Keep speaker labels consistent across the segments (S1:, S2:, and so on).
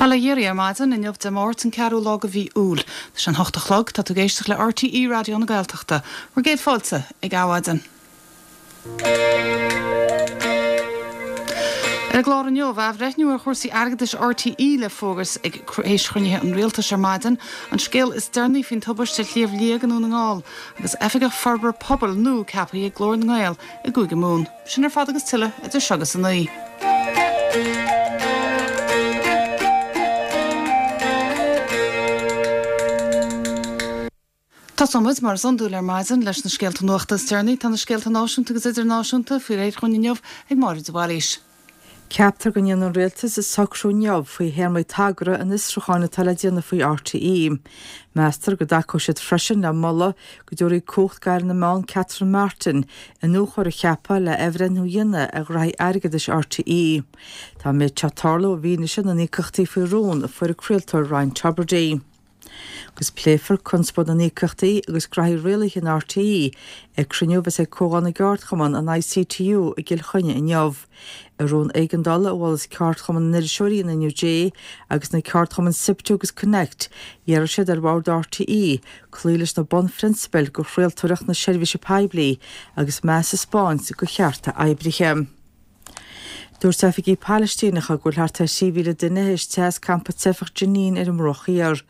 S1: Bail ó Dhia oraibh ar maidin, inniu Dé Máirt an ceathrú lá de mhí Iúil. Tá sé an hocht a chlog, tá tú ag éisteacht le RTÉ Raidió na Gaeltachta. Bhur gcéad fáilte ag Adhmhaidin. Ar an gclár inniu, athbhreithniú ar chúrsaí airgeadais RTÉ le fógairt ag théis chruinnithe an Rialtais ar maidin, an scéal is deireanaí faoin tubaiste ar Shliabh Liag i nDún na nGall, agus Oifigeach Forbartha Pobail nua ceaptha ag Glór na nGael i gCúige Mumhan. Sin ar fad agus tuilleadh idir seo agus a 9. Tosóidh muid, mar is iondúil ar maidin, leis na scéalta nuachta is deireanaí. Tá na scéalta náisiúnta agus idirnáisiúnta faoi réir dhúinn inniu ag Máire de Bhailís.
S2: Ceaptar go ndéanfaidh an Rialtas socrú inniu faoi théarmaí tagartha an fhiosrúcháin atá le déanamh faoi RTÉ. Meastar go dtacóidh siad freisin le moladh go dtabharfaí cumhacht d'Aire na Meán Catherine Martin iniúchóir a cheapadh le athbhreithniú a dhéanamh ar ghraithí airgeadais RTÉ. Tá an méid seo ag tarlú i bhfianaise na n-íocaíochtaí faoi rún a fuair an craoltóir Ryan Tubridy. Agus pléifear conspóid na n-íocaíochtaí agus graithí rialaithe in RTÉ ag cruinniú a bheas ag Comhdháil na gCeardchumann, an ICTU, i gCill Chainnigh inniu. I rún éigeandála a mhol Ceardchumann na nIriseoirí, an NUJ, agus na ceardchumainn SIPTU agus Connect, d'iarr siad ar bhord RTÉ cloí leis na bunphrionsabail do chraoltóireacht na seirbhíse poiblí agus meas a 'spáint do chearta oibrithe. Dúirt oifigigh Phalaistíneacha go bhfuil thart ar 3,000 duine théis teitheadh as campa teifeach Jenin ar an mBruach Thiar.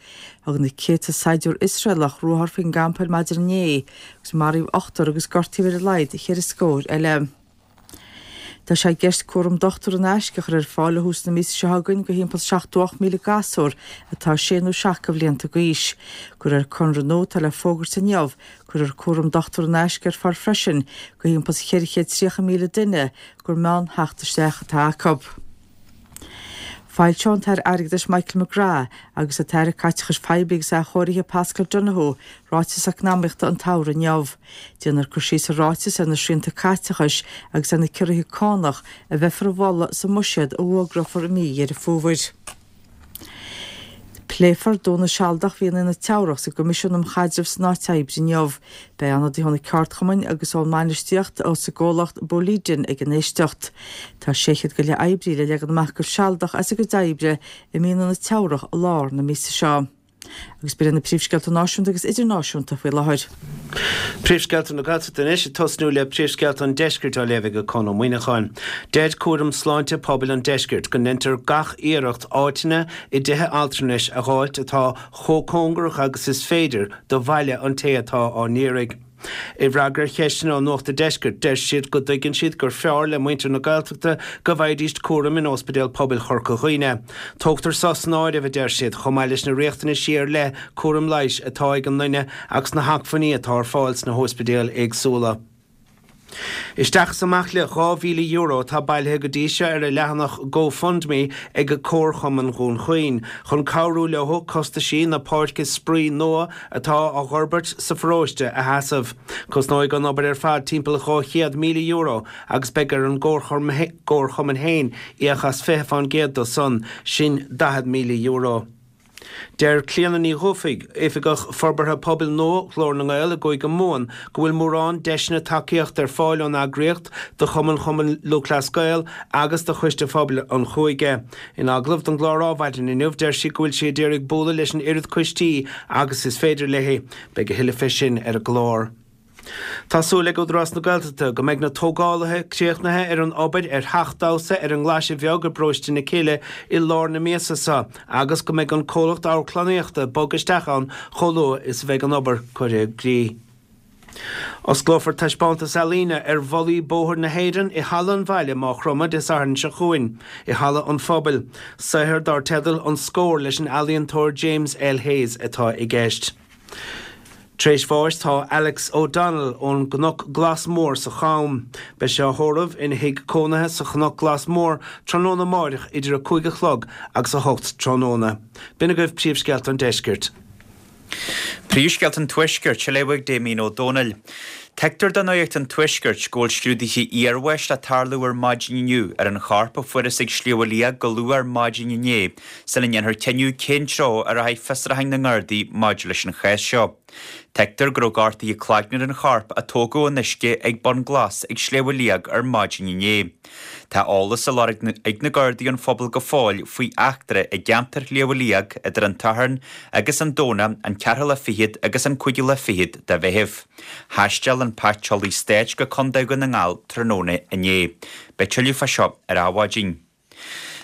S2: Thug na céadta saighdiúir Iosraelach ruathar faoin gcampa ar maidin inné agus maraíodh ochtar agus gortaíodh ar a laghad cheithre scór eile. Tá sé i gceist cúram dochtúra in aisce a chur ar fáil ó thús na míosa seo chugainn do thimpeall 78,000 gasúr atá sé nó seacht de bhlianta d'aois. De réir conradh nua atá le fógairt inniu, Cuirfear cúram dochtúra in aisce ar fáil freisin do thimpeall 430,000 duine gur meán-theacht isteach atá acu. Foilseoidh an tAire Airgeadais Michael McGrath agus an tAire Caiteachais Phoiblí agus Athchóirithe Paschal Donohoe Ráiteas Eacnamaíochta an tSamhraidh inniu. Déanfar cur síos sa ráiteas ar na srianta caiteachais agus ar na ciorruithe cánach a bheifear a mholadh sa mbuiséad a fhógrófar i mí Dheireadh Fómhair. Pléifear dúnadh sealadach mhí na Teamhrach sa gCoimisiún um Chaidreamh san Áit Oibre inniu. Beidh ionadaithe ó na ceardchumainn agus ón mbainistíocht sa gcomhlacht Boliden ag an éisteacht. Tá 600 go leith oibrí le leagan amach go sealadach as a gcuid oibre i mí na Teamhrach i lár na míosa seo. Agus b'in iad na príomhscéalta náisiúnta agus idirnáisiúnta faoi láthair.
S3: Príomhscéalta na Gaeltachta anois, ag tosnú le príomhscéalta an Deiscirt á léamh ag Conn Ó Muíneacháin. Deir Cúram Sláinte Pobail an Deiscirt go ndeintear gach iarracht áiteanna i dtithe altranais a dh'fháilt atá chomh cóngarach agus is féidir do bhaile an té atá á n-iarraidh. I bhfreagra ar cheisteanna ó Nuacht a' Deiscirt, deir siad go dtuigeann siad gur fearr le muintir na Gaeltachta go bhfaighidíst cúram in Óspidéal Pobail Chorca Dhuibhne. Tógtar so san áireamh, a deir siad, chomh maith leis na riachtanaisí ar leith cúram leighis atá ag an nduine agus na hacmhainní atá ar fáil sna hóispidéil éagsúla. Isteach is amach le €2,000 atá bailithe go dtí seo ar a leathanach GoFundMe ag Comharchumann Dhún Chaoin chun cabhrú leo costaisí na páirce spraoi nua atá á dh'fhorbairt sa pharóiste a sheasamh. Cosnóidh an obair ar fad timpeall €200,000 agus beidh ar an gComharchumann féin íoc as 20% do san, sin €40,000. Deir Clíona Ní Dhufaigh, Oifigeach Forbartha Pobail nua Ghlór na nGael i gCúige Mumhan, go bhfuil mórán deiseanna tacaíochta ar fáil ón eagraíocht do Chumann Chumann Lúthchleas Gael agus do Choiste Phobail an Chúige. In agallamh don gclár Adhmhaidin inniu, deir sí go bhfuil sí ag iarraidh bualadh leis an oiread coistí agus is féidir léi. Beidh a thuilleadh fé sin ar an gclár. Tá súil ag Údarás na Gaeltachta go mbeidh na tógálaithe críochnaithe ar an obair ar theach damhsa ar an nGlaise Bheag i bparóiste na Cille i lár na míosa seo agus go mbeidh an comhlacht amharclannaíochta ag bogadh isteach ann chomh luath is a bheidh an obair curtha i gcrích. Osclófar taispeántas ealaíne ar bholaí bóthair na hÉireann i Halla an Bhaile, Maigh Chromtha, Dé Sathairn seo chugainn, i Halla an Phobail. Saothar dar teideal 'An Scór' leis an ealaíontóir James L. Hayes atá i gceist. Tar éis bháis tá Alex O'Donnell ón gCnoc Glas Mór sa Cham. Beidh sé á thórramh ina thigh cónaithe sa Chnoc Glas Mór tráthnóna amáireach idir 5 a chlog agus 8 tráthnóna. B'in agaibh príomhscéalta an deiscirt.
S4: Príomhscéalta an Tuaiscirt á léamh ag Damien Ó Dónaill. Tuigtear do Nuacht an Tuaiscirt go bhfuil scrúduithe iarbháis le tarlú ar maidin inniu ar an chorp a fuarthas ag Sliabh Liag go luath ar maidin inné sula ndéanfar cinneadh cén treo a rachaidh fiosrúcháin na nGardaí maidir leis an chás seo. Tuigtear go raibh gortuithe cloigne ar an chorp a tógadh ón uisce ag Bun Glas ag Sliabh Liag ar maidin inné. Tá eolas á lorg ag na Gardaí ón phobal go fóill faoi eachtra i gceantar Shliabh Liag idir an tSatharn agus an Domhnach, an ceathrú lá fichead agus an cúigiú lá fichead de Mheitheamh. Thaisteal an Paiteolaí Stáit go Contae Dhún na nGall tráthnóna inné. Beidh tuilleadh fá seo ar Adhmhaidin.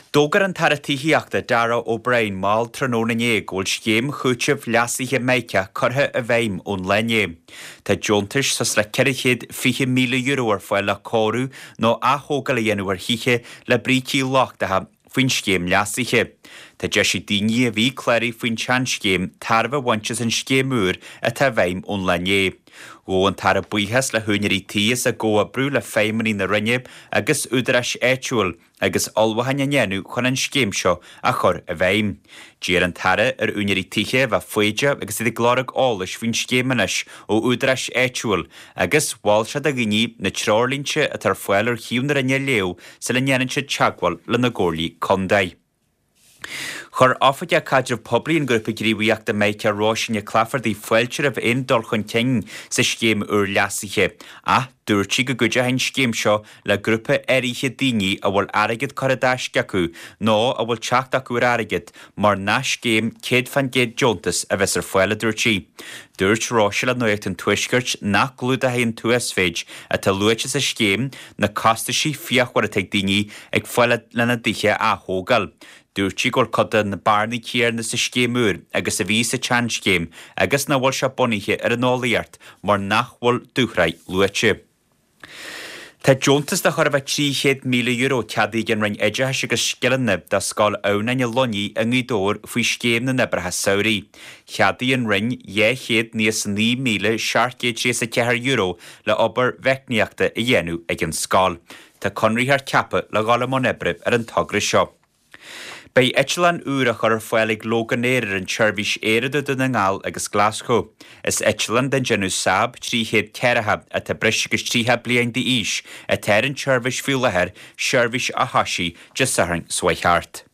S4: D'fhógair an tAire Tithíochta, Darragh O'Brien, mall tráthnóna inné go bhfuil scéim chúitimh leasaithe Mica curtha i bhfeidhm ón lá inné. Tá deontais suas le €420,000 ar fáil le cóiriú nó ath-thógáil a dhéanamh ar thithe le brící lochtacha faoin scéim leasaithe. Tá deis ag daoine a bhí cláraithe faoin tseanscéim tairbhe a bhaint as an scéim úr atá i bhfeidhm ón lá inné. Ghabh an tAire buíochas le húinéirí tí as a gcomhoibriú le feidhmeannaigh na Roinne agus údaráis áitiúil agus ullmhúcháin á ndéanamh chun an scéim seo a chur i bhfeidhm. D'iarr an tAire ar úinéirí tithe a bheith foighdeach agus iad ag lorg eolais faoin scéim anois ó údaráis áitiúil agus mhol sé do dhaoine na treoirlínte atá ar fáil ar shuíomh na Roinne a léamh sula ndéanann siad teagmháil lena gcomhairlí contae. Chuir Oifigeach Caidreamh Poiblí an Ghrúpa Gníomhaíochta Mica Róisín Nic Laifeartaigh fáilte roimh aon dul chun cinn sa scéim úr leasaithe ach dúirt sí go gcuideoidh an scéim seo le grúpa áirithe daoine a bhfuil airgead curtha i dtaisce acu nó a bhfuil teacht acu ar airgead mar nach scéim 100% deontas a bheas ar fáil, a dúirt sí. Dúirt Róise le Nuacht an Tuaiscirt nach gclúdóidh an t-uasmhéid atá luaite sa scéim na costaisí fíochmhara atá ag daoine ag fáil lena dtithe a ath-thógáil. Dúirt sí go bhfuil cuid de na bearnaí céanna sa scéim úr agus a bhí sa tseanscéim agus nach bhfuil sé bunaithe ar an eolaíocht mar nach bhfuil dúshraith luaite. Tá deontas de chóir a bheith €300,000 ceadaithe ag an Roinn Oideachais agus Scileanna do Scoil Adhamhnáin i Luinnigh i nGaoth Dobhair faoi Scéim na nOibreacha Samhraidh. Cheadaigh an Roinn €299,734 le obair mheicníochta a dhéanamh ag an scoil. Tá conraitheoir ceaptha le dhul i mbun oibre ar an togra seo. Beidh eitleán úr á chur ar fáil ag Loganair ar an tseirbhís aeir idir Dún na nGall agus Glaschú. Is eitleán den déanamh Saab 300 40 atá breis agus 30 bliain d'aois atá ar an tseirbhís faoi láthair, seirbhís a thosaigh Dé Sathairn seo chuaigh thart.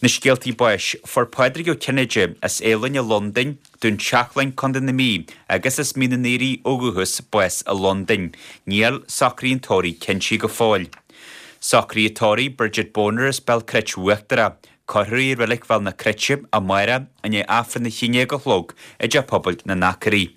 S4: Na scéaltaí báis, Fuair Pádraig Ó Cinnéide as Eilean i Londain, Dún Seachlainn, Co. na Mí, agus as Mín an Aoraigh ó dhúchas, bás i Londain. Níl socruithe an tórraimh cinntithe go fóill. Socruithe tórraimh Bridget Boner as Béal Cruit Uachtarach. Cuirfear í i Reilig Bhéal na Cruite amárach i ndiaidh Aifreann a 11 a chlog i dTeach Pobail na nAcraí.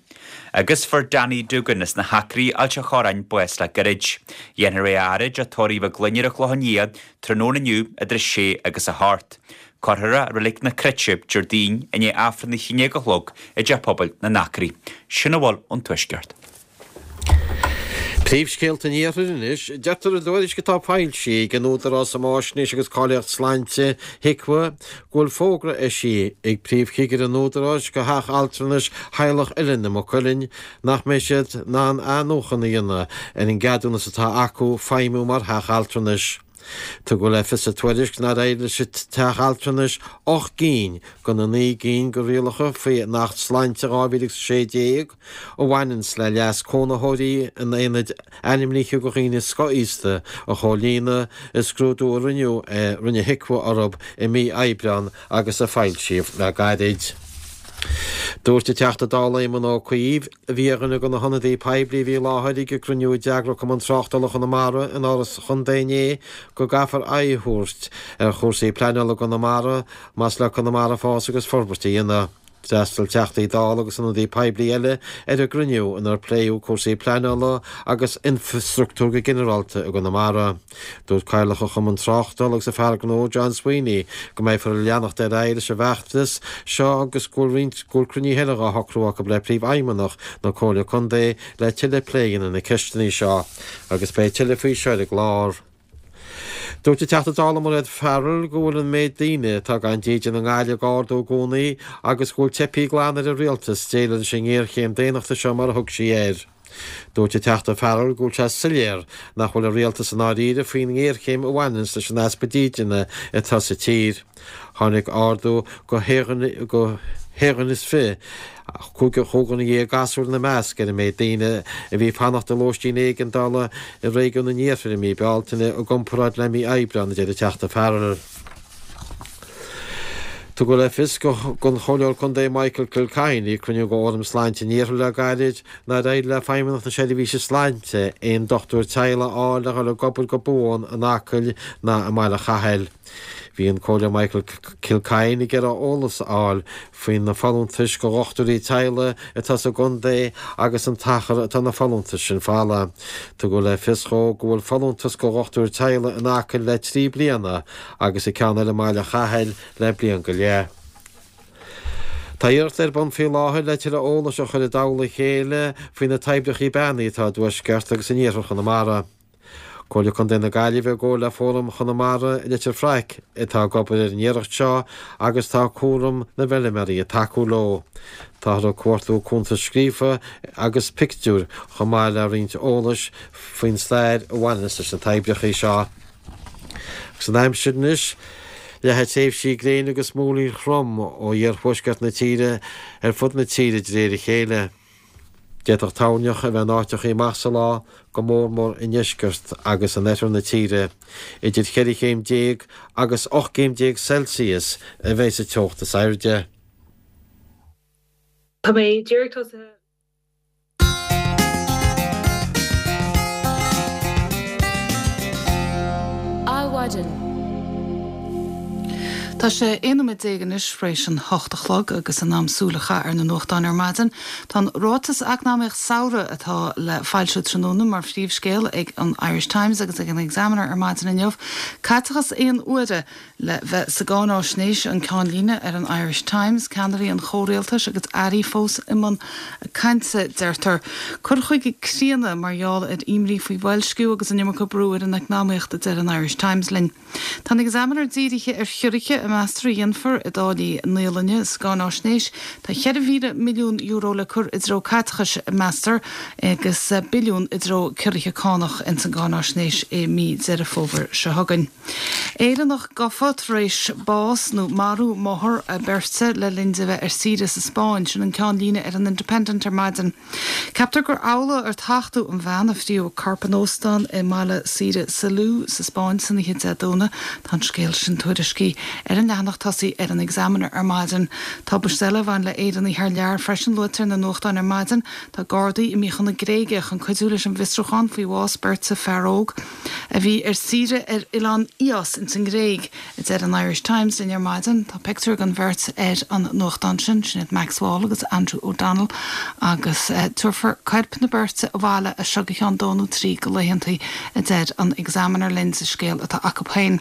S4: Agus fuair Danny Duggan as na hAcraí, Ailt a' Chorráin, bás le gairid. Dhéanfar é a fhaire i dteach tórraimh Mhic Gloinn ar an Chlochán Liath tráthnóna inniu idir 6 agus 8. Cuirfear é i Reilig na Cruite Déardaoin i ndiaidh Aifreann a 11 a chlog i dTeach Pobail na nAcraí. Sin a bhfuil ón Tuaisceart.
S5: Príomhscéalta an Iarthair anois. Deirtear i dtuairisc atá foilsithe ag an Údarás um Fháisnéis agus Cáilíocht Sláinte, HIQA, go bhfuil fógra eisithe ag Príomhchigire an Údaráis go Theach Altranais Theaghlach Uilinn i Maigh Cuilinn nach mbeidh siad in ann athnuachan a dhéanamh ar an gceadúnas atá acu feidhmiú mar theach altranais. Tugadh le fios sa tuairisc nár éirigh leis an teach altranais 8 gcinn de na 9 gcinn de rialacha faoin Acht Sláinte 2016 a bhaineanns le leas cónaitheoirí in aonaid ainmnithe do dhaoine scothaosta a chomhlíonadh i scrúdú a rinneadh a rinne HIQA orthu i mí Aibreáin agus a foilsíodh le gairid. Dúirt an Teachta Dála Éamon Ó Cuív, a bhí ar dhuine de na hionadaithe poiblí a bhí i láthair ag an gcruinniú a d'eagraigh Cumann Tráchtála Chonamara in Áras an Chontae inné, go gcaithfear aghaidh a thabhairt ar chúrsaí pleanála i gConamara más le Conamara fás agus forbairt a dhéanamh. D'fhreastail Teachtaí Dála agus ionadaithe poiblí eile ar an gcruinniú inar pléadh cúrsaí pleanála agus infreastruchtúir go ginearálta i gConamara. Dúirt Cathaoirleach an Chumainn Tráchtála agus an fear gnó John Sweeney go mbeifear ag leanacht ar aghaidh leis an bhfeachtas seo agus go bhfuil roinnt go bhfuil cruinnithe eile dhá shocrú acu le Príomhfheidhmeannach na Comhairle Contae le tuilleadh plé a dhéanamh ar na ceisteanna seo agus beidh tuilleadh faoi seo ar an gclár. Dúirt an Teachta Dála Mairéad Farrell go bhfuil an méid daoine atá gan dídean i nGaillimh ag ardú i gcónaí agus go bhfuil teipthe glan ar an Rialtas déileáil leis an ngéarchéim daonnachta seo mar a thug sí air. Dúirt an Teachta Farrell go bhfuil sé soiléir nach bhfuil an Rialtas i ndáiríre faoin ngéarchéim a bhaineanns leis an easpa dídine atá sa tír. Tháinig ardú go haon dhuine is 25 dhuine gasúr ina measc, ar an méid daoine a bhí ag fanacht i lóistín éigeandála i réigiún an Iarthair i mí Bealtaine i gcomparáid le mí Aibreáin, a deir an Teachta Farrell. Tugadh le fios don Chomhairleoir Contae Michael Kilcoyne ag cruinniú de Fhóram Sláinte an Iarthair le gairid nár éirigh le Feidhmeannacht na Seirbhíse Sláinte aon dochtúir teaghlaigh a fháil le dhul ag obair go buan in Acaill ná i mBaile Chathail. Bhí an Comhairleoir Michael Kilcoyne ag iarraidh eolas a fháil faoi na folúntais do dhochtúirí teaghlaigh atá sa gcontae agus an t-achar atá na folúntais sin folamh. Tugadh le fios dhó go bhfuil folúntas do dhochtúir teaghlaigh in Acaill le 3 bliana agus an ceann eile i mBaile Chathail le bliain go leith. Tá iarracht ar bun faoi láthair le tuilleadh eolais a chur i dtoll a chéile faoi na toibreacha beannaithe atá i dtuaisceart agus in iarthar Chonamara. Comhairle Contae na Gaillimhe i gcomhar le Fóram Chonamara i Leitir Fraic atá ag obair ar an iarracht seo agus tá Cúram na bhFeilméaraí ag tacú leo. Táthar ag cuartú cuntas scríofa agus pictiúir chomh maith le roinnt eolais faoin stair a bhaineanns leis na toibreacha seo. Agus an aimsir anois, leathfaidh tréimhsí gréine agus múraíl throm ó iarthuaisceart na tíre ar fud na tíre de réir a chéile. D'fhéadfadh toirneach a bheith in áiteachaí amach sa lá, go mór mór i ndeisceart agus in oirthear na tíre. Idir cheithre chéim déag agus 18 gcéim Celsius a bheidh sa teocht is airde.
S6: Tá mé díreach tosaithe.
S1: Adhmhaidin. Tá sé 11 nóiméad anois tar éis an hocht a chlog agus in am súil a chaitheamh ar na nuachtáin ar maidin. Tá an Ráiteas Eacnamaíoch Samhraidh atá le foilsiú tráthnóna mar phríomhscéal ag an Irish Times agus ag an Examiner ar maidin inniu. Caiteachas aon uaire le bheith sa gcáináisnéis, an ceannlíne ar an Irish Times, ceannairí an chomhrialtais agus airí fós i mbun cainte, deirtear. Cur chuige críonna mar gheall ar imní faoi bhoilsciú agus an iomarca brú ar an eacnamaíocht, a deir an Irish Times linn. Tá an Examiner dírithe ar chiorruithe a meastar a dhéanfar i dtáillí naíolainne sa gcáináisnéis. Tá €4,000 milliún le cur i dtreo caiteachais, meastar, agus billiún i dtreo ciorruithe cánach ins an gcáináisnéis i mí Deireadh Fómhair seo chugainn. Éireannach gafa tar éis bás nó marú máthar beirte le linn di bheith ar saoire sa Spáinn, sin an ceannlíne ar an Independent ar maidin. Ceaptar gur amhlaidh ar tachtadh an bhean a fríothadh corp in óstán i mbaile saoire Salou sa Spáinn san oíche Dé Domhnaigh. Tá an scéal sin tuairiscithe ar an leathanach tosaigh ar an Examiner ar maidin. Tubaiste eile a bhain le Éireannaigh thar lear freisin luaite ar na nuachtáin ar maidin. Tá Gardaí imithe chun na Gréige chun cuidiú leis an bhfiosrúchán faoi bhás beirte fear óg a bhí ar saoire ar oileán Ios ins an nGréig, a deir an Irish Times linn ar maidin. Tá pictiúr den bheirt ar an nuachtán sin, sin iad Max Wall agus Andrew O'Donnell, agus tabharfar coirp na beirte abhaile as seo go ceann dó nó trí de laethantaí, a deir an Examiner linn sa scéal atá acu féin.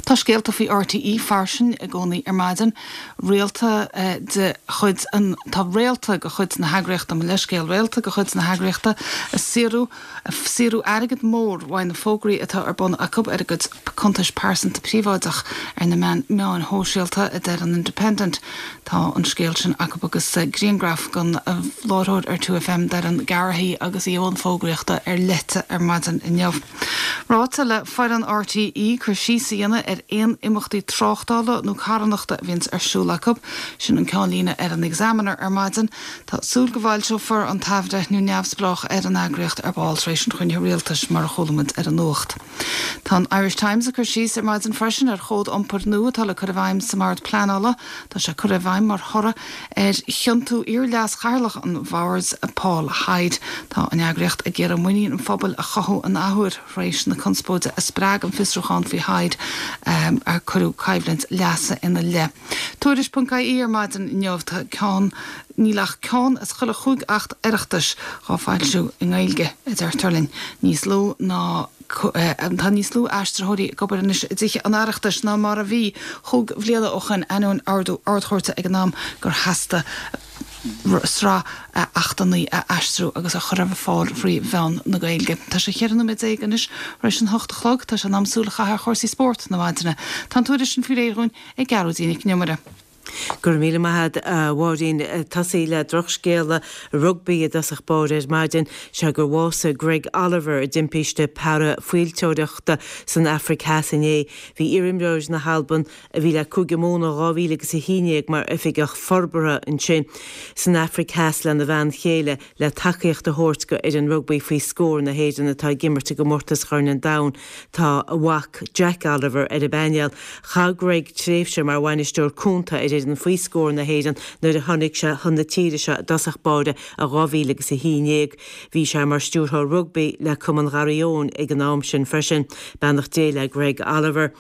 S1: Tá scéalta faoi RTÉ fairsing i gcónaí ar maidin. Réalta de chuid an Tá réalta de chuid na heagraíochta, mo leithscéal, réalta de chuid na heagraíochta ag saothrú ag saothrú airgead mór uaidh na fógraí atá ar bun acu ar a gcuid cuntais pearsanta príobháideach ar na meáin shóisialta, a deir an Independent. Tá an scéal sin acu agus griangraf den láithreoir ar 2FM Doireann Garrihy agus í i mbun fógraíochta ar Lete ar maidin inniu. Ráite le foireann RTÉ cur síos a dhéanamh ar aon imeachtaí tráchtála nó carthanachta a bhíonns ar siúl acu. Sin an ceannlíne ar an Examiner ar maidin. Tá súil go bhfoilseofar an t-athbhreithniú neamhspleách ar an eagraíocht ar ball tar éis an chruinnithe rialtais, mar a chuala muid ar an nuacht. Tá an Irish Times ag cur síos ar maidin freisin ar chód iompair nua atá le cur i bhfeidhm sa mBord Pleanála. Tá sé curtha i bhfeidhm mar thoradh ar chiontú iar-leas-chathaoirleach an bhoird, Paul Hyde. Tá an eagraíocht ag iarraidh muinín an phobail a chothú an athuair tar éis na conspóide a spreag an fiosrúchán faoi Hyde ar cuireadh coimhlint leasa ina leith. Tuairisc.ie ar maidin inniu, tá ceann, níl ach ceann as chuile chúig acht Oireachtais dhá foilsiú i nGaeilge, a deirtear linn. Níos lú ná, tá níos lú aistritheoirí ag obair anois i dTithe an Oireachtais ná mar a bhí chúig bhliana ó shoin, ainneoin ordú Ard-Chúirte ag an am gur theastaigh sraith achtanna a aistriú agus a chur ar fáil faoi mheán na Gaeilge. Tá sé 14 nóiméad anois tar éis an hocht a chlog. Tá sé in am súil a chaitheamh ar chúrsaí spóirt na maidine. Tá an tuairisc sin faoi réir dhúinn ag Gearóidín Nic an Iomaire.
S6: Go raibh míle maith agat a Mháirín. Tosaí le drochscéala rugbaí i dtosach báire ar maidin, sé gur bhásaigh Greg Oliver i dtimpiste parafaoilteoireachta san Afraic Theas inné. Bhí iarimreoir na hAlban, a bhí le Cúige Mumhan ó 2011 mar oifigeach forbartha ansin san Afraic Theas lena bhean chéile, le tacaíocht a thabhairt go fhoireann rugbaí faoi scór na hÉireann atá ag imirt i gcomórtas Chorn an Domhain. Tá a mhac Jack Oliver ar an bpainéal. Chaith Greg tréimhse mar bhainisteoir cúnta ar fhoireann faoi scór na hÉireann nuair a tháinig sé chun na tíre seo i dtosach báire i 2011. Bhí sé mar stiúrthóir rugbaí le Cumann Gharraí Eoin ag an am sin freisin. Beannacht Dé le Greg Oliver.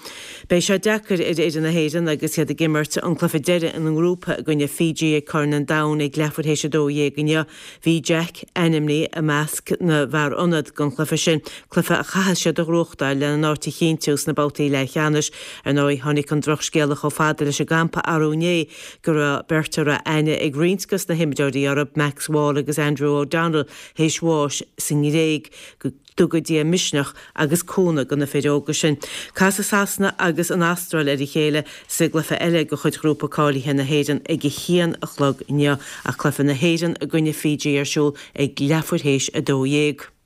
S6: Beidh sé deacair ar fhoireann na hÉireann agus iad ag imirt an cluiche deiridh ina ngrúpa i gcoinne Fiji ag Corn an Domhain ag leathuair théis 12 inniu. Bhí Jack ainmnithe i measc na bhfear ionad don chluiche sin, cluiche a chaithfidh siad a ghnóthachtáil lena n-áit a chinntiú sna babhtaí leathcheannais. Ar ndóigh, tháinig an drochscéala chomh fada leis an gcampa arú inné go raibh beirt a raibh aithne ag roinnt dos na himreoirí orthu, Max Wall agus Andrew O'Donnell, théis bháis sa nGréig. Go dtuga Dia misneach agus cúnamh do na fir óga sin. Casfaidh Sasana agus an Astráil ar a chéile sa gcluiche eile de chuid ghrúpa cáilithe na hÉireann ag a haon a chlog inniu, ach cluiche na hÉireann i gcoinne Fiji ar siúl ag leathuair théis 12.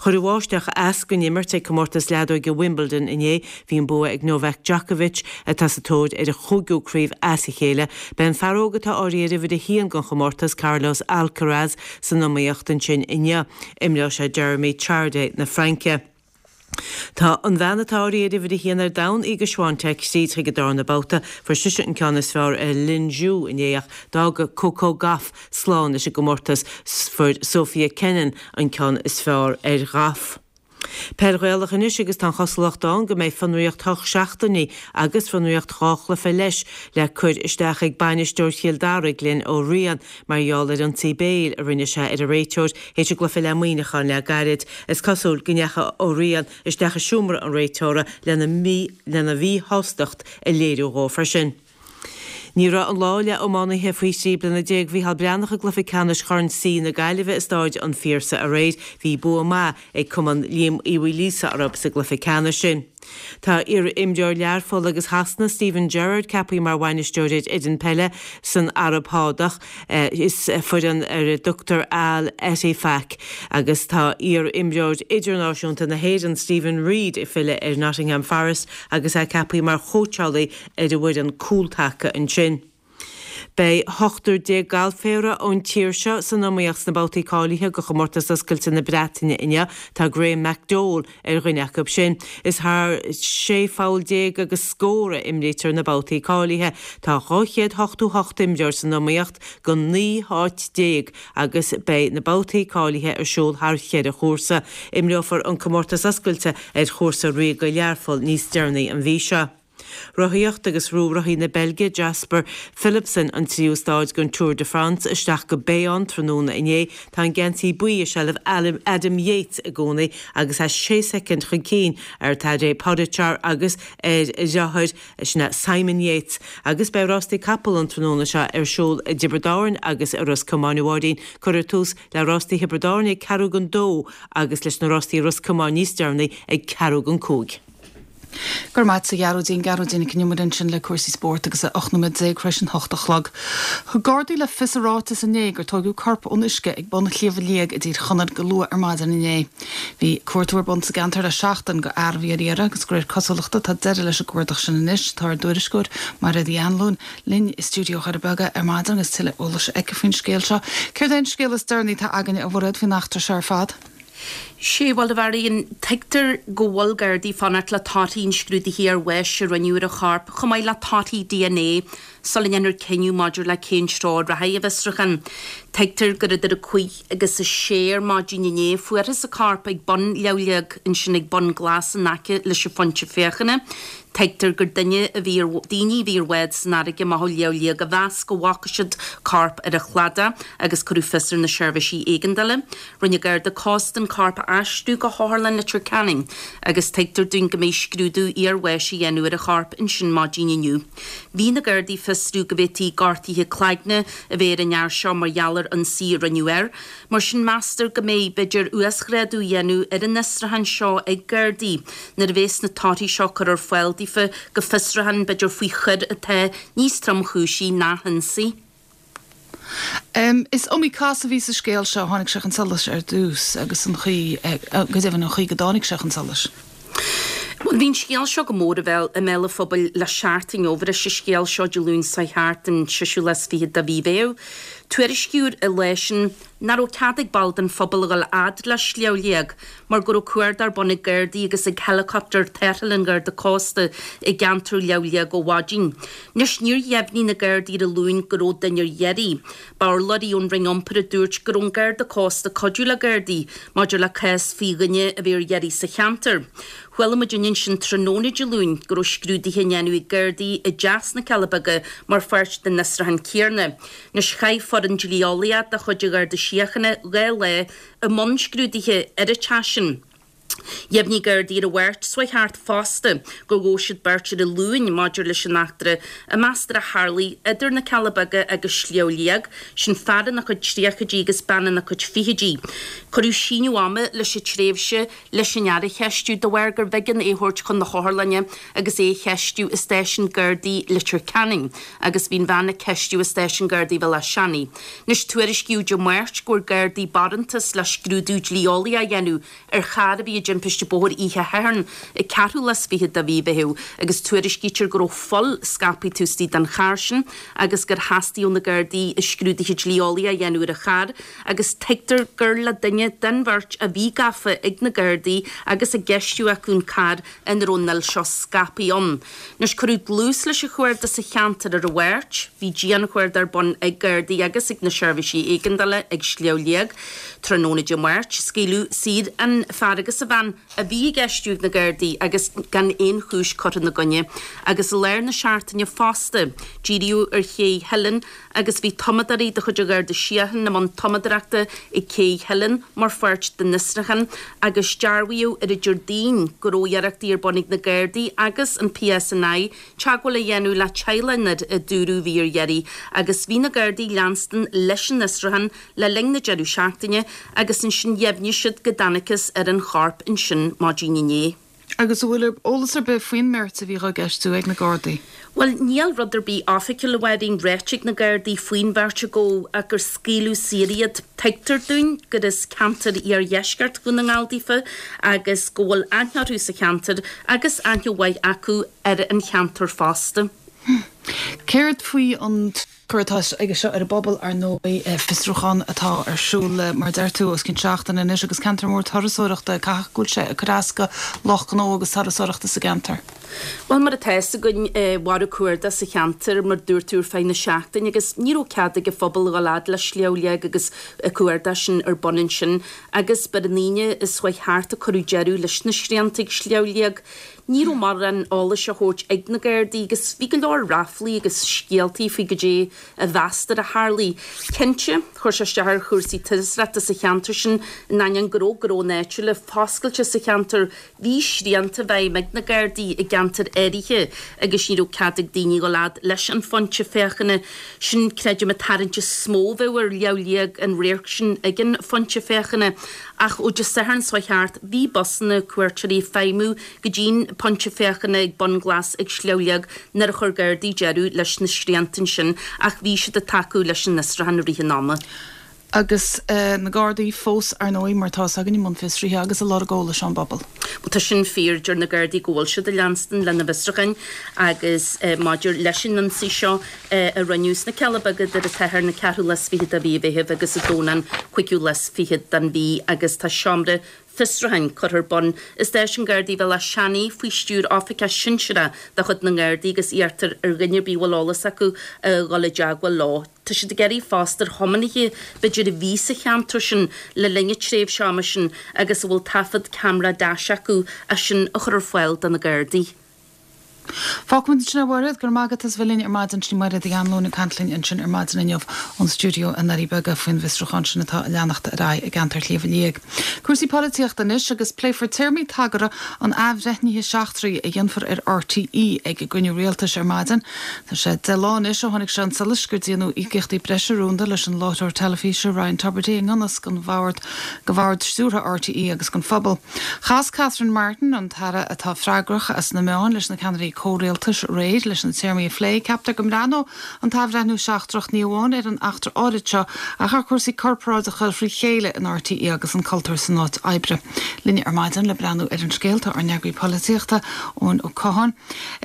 S6: Chuir an bháisteach as don imirt ag comórtas leadóige Wimbledon inné. Bhí an bua ag Novak Djokovic, atá sa tóir ar a chúigiú craobh as a chéile. Beidh an fear óg atá áirithe ar uimhir a haon don chomórtas, Carlos Alcaraz, san iomaíocht ansin inniu. Imreoidh sé Jeremy Chardy na Fraince. Tá an bhean atá áirithe ar uimhir a haon ar domhan, Iga Swiatek, tríd chuig an darna babhta. Fuair sise an ceann is fearr ar Lin Zhu inné ach d'fhág Coco Gauff slán leis an gcomórtas. Fuair Sofia Kenin an ceann is fearr ar Gauff. Peil Ghaelach anois agus tá an chosúlacht ann go mbeidh fionraíocht hocht seachtainí agus fionraíocht 2 chluiche leis le cur isteach ag bainisteoir Chill Dara, Glenn Ó Riain, mar gheall ar ionsaí béil a rinne sé ar an réiteoir théis a gcluiche le Muineachán le gairid. Is cosúil go ndeachaigh Ó Riain isteach i seomra an réiteora lena lena mhíshástacht a léiriú dhó freisin. Ní raibh an lá le iománaithe faoi 13 bliana Mhícheál Breathnach i gcluiche ceannais Chorn C na Gaillimhe i Stáid an Phiarsaigh aréir. Bhí bua maith ag cumann Liam Uí Mhaoilíosa orthu sa gcluiche ceannais sin. Tá iar-imreoir Learpholl agus Shasana, Steven Gerrard ceaptha mar bhainisteoir ar fhoireann peile san Araib Shádach. Is foireann ar a dtugtar Al Ettifaq agus tá iar-imreoir idirnáisiúnta na hÉireann, Steven Reid ag filleadh ar Nottingham Forest agus é ceaptha mar chóitseálaí ar an bhfoireann cúltaca ansin. Beidh ochtar déag galféara ón tír seo san iomaíocht sna babhtaí cáilithe do Chomórtas Oscailte na Breataine inniu. Tá Graham McDowell ar dhuine acu sin. Is thar 16 pholl agus scór a imrítear na babhtaí cáilithe. Tá 288 imreoir san iomaíocht do 19 háit agus beidh na babhtaí cáilithe ar siúl thar cheithre chúrsa. Imreofar an Comórtas Oscailte ar Chúrsa Ríoga Learpholl níos deireanaí an mhí seo. Rothaíocht agus ghnóthaigh rothaí na Beilge, Jasper Philipsen, an tríú stáid den Tour de France isteach go Bayonne tráthnóna inné. Tá an geansaí buí i seilbh Adam Yates i gcónaí agus é sé soicind chun cinn ar Tadej Pogacar agus ar a dheartháir, sin é Simon Yates. Agus beidh rástaí capall an tráthnóna seo ar siúl i dTiobraid Árann agus i Ros Comáin a Mháirín. Cuirfear tús le rástaí Thiobraid Árann ag ceathrú don dó agus leis na rástaí i Ros Comáin níos deireanaí ag ceathrú don cúig.
S1: Go raibh maith agat a Ghearóidín. Gearóidín Nic Con Iomaire ansin le cúrsaí spóirt agus é 18 nóiméad tar éis an hocht a chlog. Thug Gardaí le fios i ráiteas inné gur tóigeadh corp ón uisce ag bun Shliabh Liag i dTír Chonaill go luath ar maidin inné. Bhí cuartú ar bun sa gceantar le seachtain go fhear a bhí ar iarraidh agus de réir cosúlachta tá deireadh leis an gcuardach sin anois. Tá ár dtuairisceoir Mairéad Uí Anluain linn i stiúideo Dhoire Beaga ar maidin agus tuilleadh eolais aici faoin scéal seo. Céard é an scéal is deireanaí atá againne a Mhairéad faoin eachtra seo ar fad?
S7: Sea, bhuel, a Mháirín, tuigtear go bhfuil Gardaí ag fanacht le torthaí an scrúdaithe iarbháis a rinneadh ar an chorp, chomh maith le torthaí dna, sula ndéanfar cinneadh maidir le cén treo a rachaidh an bhfiosrúchán. Tuigtear gur idir a cúig agus a sé ar maidin inné a fuarthas an corp ag bun Shliabh Liag, ansin ag Bun Glas in aice leis an phointe féachana. Tuigtear gur duine a bhí ar, daoine a bhí ar bhád san fharraige amach ó Shliabh Liag a mheas go bhfaca siad corp ar an chladach agus cuireadh fios ar na seirbhísí éigeandála. Rinne Garda Cósta an corp a aistriú go hOtharlann Leitir Ceanainn agus tuigtear dúinn go mbeidh scrúdú iarbháis á dhéanamh ar an chorp ansin maidin inniu. Bhí na Gardaí ag fiosrú go bhféadfaí gortuithe cloigne a bheith ar an fhear seo mar gheall ar ionsaí a rinneadh air. Mar sin meastar go mbeidh, b'fhéidir, uasghrádú á dhéanamh ar an fhiosrúchán seo ag Gardaí nuair a bheas na torthaí seo curtha ar fáil daofa. daofa go fiosrúchán b'fhéidir faoi choir atá níos tromchúisí ná hionsaí.
S1: Is iomaí cás a bhí sa scéal seo a tháinig sé chun solais ar dtús agus an chaoi, go deimhin an chaoi go dtáinig sé chun solais.
S7: Bhuel, bhí an scéal seo go mór i mbéal an phobail le seachtain ó bhris an scéal seo Dé Luain seo thart, an seisiú lá is fichead de mhí Mheitheamh. Tuairiscíodh an lá sin nach raibh cead ag baill den phobal a dhul fhad le Sliabh Liag mar go raibh cuardach ar bun ag Gardaí agus ag heileacaptar tarrthála an Gharda Cósta i gceantar Shliabh Liag ó mhaidin. Anois níor dheimhnigh na Gardaí ar an Luan go raibh duine ar iarraidh. B'urlabhraí ón Roinn Iompair a dúirt go raibh an Garda Cósta ag cuidiú le Gardaí maidir le cás faoi dhuine a bhí ar iarraidh sa cheantar. Chuala muid ansin tráthnóna Dé Luain go raibh scrúduithe á ndéanamh ag Gardaí i dteach sna Cealla Beaga mar pháirt den fhiosrúchán céanna. Anois chaith foireann dlí-eolaíoch de chuid an Gharda Síochána 2 lá i mbun scrúduithe ar an teach sin. Dheimhnigh Gardaí ar an Mháirt seo thart fosta gur ghabh siad beirt ar an Luan maidir leis an eachtra a meastar a tharlaigh idir na Cealla Beaga agus Sliabh Liag, sin fear ina chuid tríochaidí agus bean ina cuid fichidí. Cuireadh síneadh ama leis an tréimhse leis an fhear a cheistiú de bharr gurbh éigean é a thabhairt chun na hotharlainne agus é a cheistiú i stáisiún Gardaí Leitir Ceanainn agus bhí an bhean á ceistiú i stáisiún Gardaí Bhéal Átha Seanaidh. Anois tuairiscíodh Dé Máirt go bhfuair Gardaí barántas le scrúdú dlí-eolaíoch a dhéanamh ar charr a bhí i dtimpiste bóthair oíche Shathairn, an ceathrú lá is fichead de mhí Mheitheamh, agus tuairiscítear go raibh fuil scaipthe taobh istigh den charr sin agus gur theastaigh ó na Gardaí scrúduithe dlí-eolaíoch a dhéanamh ar an charr agus tuigtear gur le duine den bheirt a bhí gafa ag na Gardaí agus á gceistiú acu an carr ina raibh an fhuil seo scaipthe ann. Anois, cuireadh dlús leis an chuardach sa cheantar ar an Mháirt. Bhí dianchuardach ar bun ag Gardaí agus ag na seirbhísí éigeandála ag Sliabh Liag tráthnóna Dé Máirt. Scaoileadh saor an fear agus an bhean a bhí á gceistiú ag na Gardaí agus gan aon chúis curtha ina gcoinne. Agus i lár na seachtaine fosta, díríodh ar Ché Theilinn agus bhí tumadóirí de chuid an Gharda Síochána i mbun tumadóireachta ag Cé Theilinn mar pháirt den fhiosrúchán agus dearbhaíodh ar an Déardaoin go raibh iarrachtaí ar bun ag na Gardaí agus an PSNI teagmháil a dhéanamh le teaghlach an fhir a dúradh a bhí ar iarraidh agus bhí na Gardaí ag leanstan leis an fhiosrúchán le linn na deireadh seachtaine agus ansin dheimhnigh siad go dtángthas ar an chorp ansin maidin inné.
S1: Agus an bhfuil eolas ar bith faoin mbeirt a bhí dhá gceistiú ag na Gardaí?
S7: Bhuel, níl rud ar bith oifigiúil, a Mháirín, ráite ag na Gardaí faoin bheirt a gabhadh ach gur scaoileadh saor iad. Tuigtear dúinn gur as ceantar iardheisceart Dhún na nGall daofa agus go bhfuil aithne orthu sa cheantar agus aithne mhaith acu ar an cheantar fosta.
S1: Céard faoi an. tionchar atá aige seo ar an bpobal, ar ndóigh, fiosrúchán atá ar siúl le, mar a deir tú, os cionn seachtaine anois agus ceantar mór turasóireachta, caithfidh go bhfuil sé ag cur as do lucht gnó agus turasóireachta sa gceantar.
S7: Bhuel, mar atá fhios againn, mhair an cuardach sa cheantar, mar dúirt tú, ar feadh na seachtaine agus ní raibh cead ag an phobal a dhul fhad le Sliabh Liag agus an cuardach sin ar bun ansin agus b'ar an Aoine seo chuaigh thart a cuireadh deireadh leis na srianta ag Sliabh Liag. Ní raibh mórán eolais á thabhairt ag na Gardaí agus bhí go leor ráflaí agus scéaltaí faoi goidé a mheastar a tharlaigh. Cinnte, chuir sé isteach ar chúrsaí turasóireachta sa cheantar sin in ainneoin go raibh gnónna áitiúla foscailte sa cheantar. Bhí srianta i bhfeidhm ag na Gardaí i gceantair áirithe agus ní raibh cead ag daoine dhul fhad leis an phointe féachana. Sin, creidim, an tarraingt is mó a bheadh ar Shliabh Liag, an radharc sin ag an phointe féachana. Ach ó Dé Sathairn seo thart, bhí busanna cuairteoirí ag feidhmiú go dtí'n pointe féachana ag Bun Glas ag Sliabh Liag nuair a chuir Gardaí deireadh leis na srianta ansin ach bhí siad ag tacú leis an fhiosrúchán i rith an ama.
S1: Agus na Gardaí fós, ar ndóigh, mar atá fhios againn, i mbun fiosraithe agus ag lorg eolais ón bpobal.
S7: Bhuel, tá sin fíor. Deir na Gardaí go bhfuil siad ag leanstan lena bhfiosrúcháin agus maidir leis an ionsaí seo, a rinneadh sna Cealla Beaga idir an tSatharn an ceathrú lá is fichead de mhí Mheithimh agus an Domhnach an cúigiú lá is fichead den mhí agus tá seomra fiosrúcháin curtha ar bun i Stáisiún Gardaí Bhéal Átha Seanaidh faoi stiúir oifigeach sinsearach de chuid na nGardaí agus iarrtar ar dhuine ar bith a bhfuil eolas acu a dhul i dteagmháil leo. Tá siad ag iarraidh fosta ar thiománaithe b'fhéidir a bhí sa cheantar sin le linn an tréimhse ama sin agus a bhfuil taifead ceamara dash acu é sin a chur ar fáil do na Gardaí.
S1: Fágfaimid ansin é a Mhairéad, go raibh maith agat as bheith linn ar maidin. Sin í Mairéad Uí Anluain ag caint linn ansin ar maidin inniu ón stiúideo i nDoirí Beaga faoin bhfiosrúchán sin atá ag leanacht ar aghaidh i gceantar Shliabh Liag. Cúrsaí polaitíochta anois agus pléifear téarmaí tagartha an athbhreithnithe seachtraigh a dhéanfar ar RTÉ ag an gcruinniú rialtais ar maidin. Tá sé 10 lá anois ó tháinig sé chun solais gur déanadh íocaíochtaí breise rúnda leis an láithreoir teilifíse Ryan Tubridy i ngan fhios don bhord, do bhord stiúrtha RTÉ agus don phobal. Chas Catherine Martin, an tAire atá freagrach as na meáin, leis na ceannairí. ceannairí comhrialtais aréir leis na téarmaí a phlé. Ceaptar go mbreathnóidh an t-athbhreithniú seachtrach ní amháin ar an eachtra áirid seo ach ar chúrsaí corparáideacha thrí chéile in RTÉ agus an cultúr san áit oibre. Linn ar maidin le breathnú ar an scéal tá ár n-eagraí polaitíochta, Eoin Ó Catháin.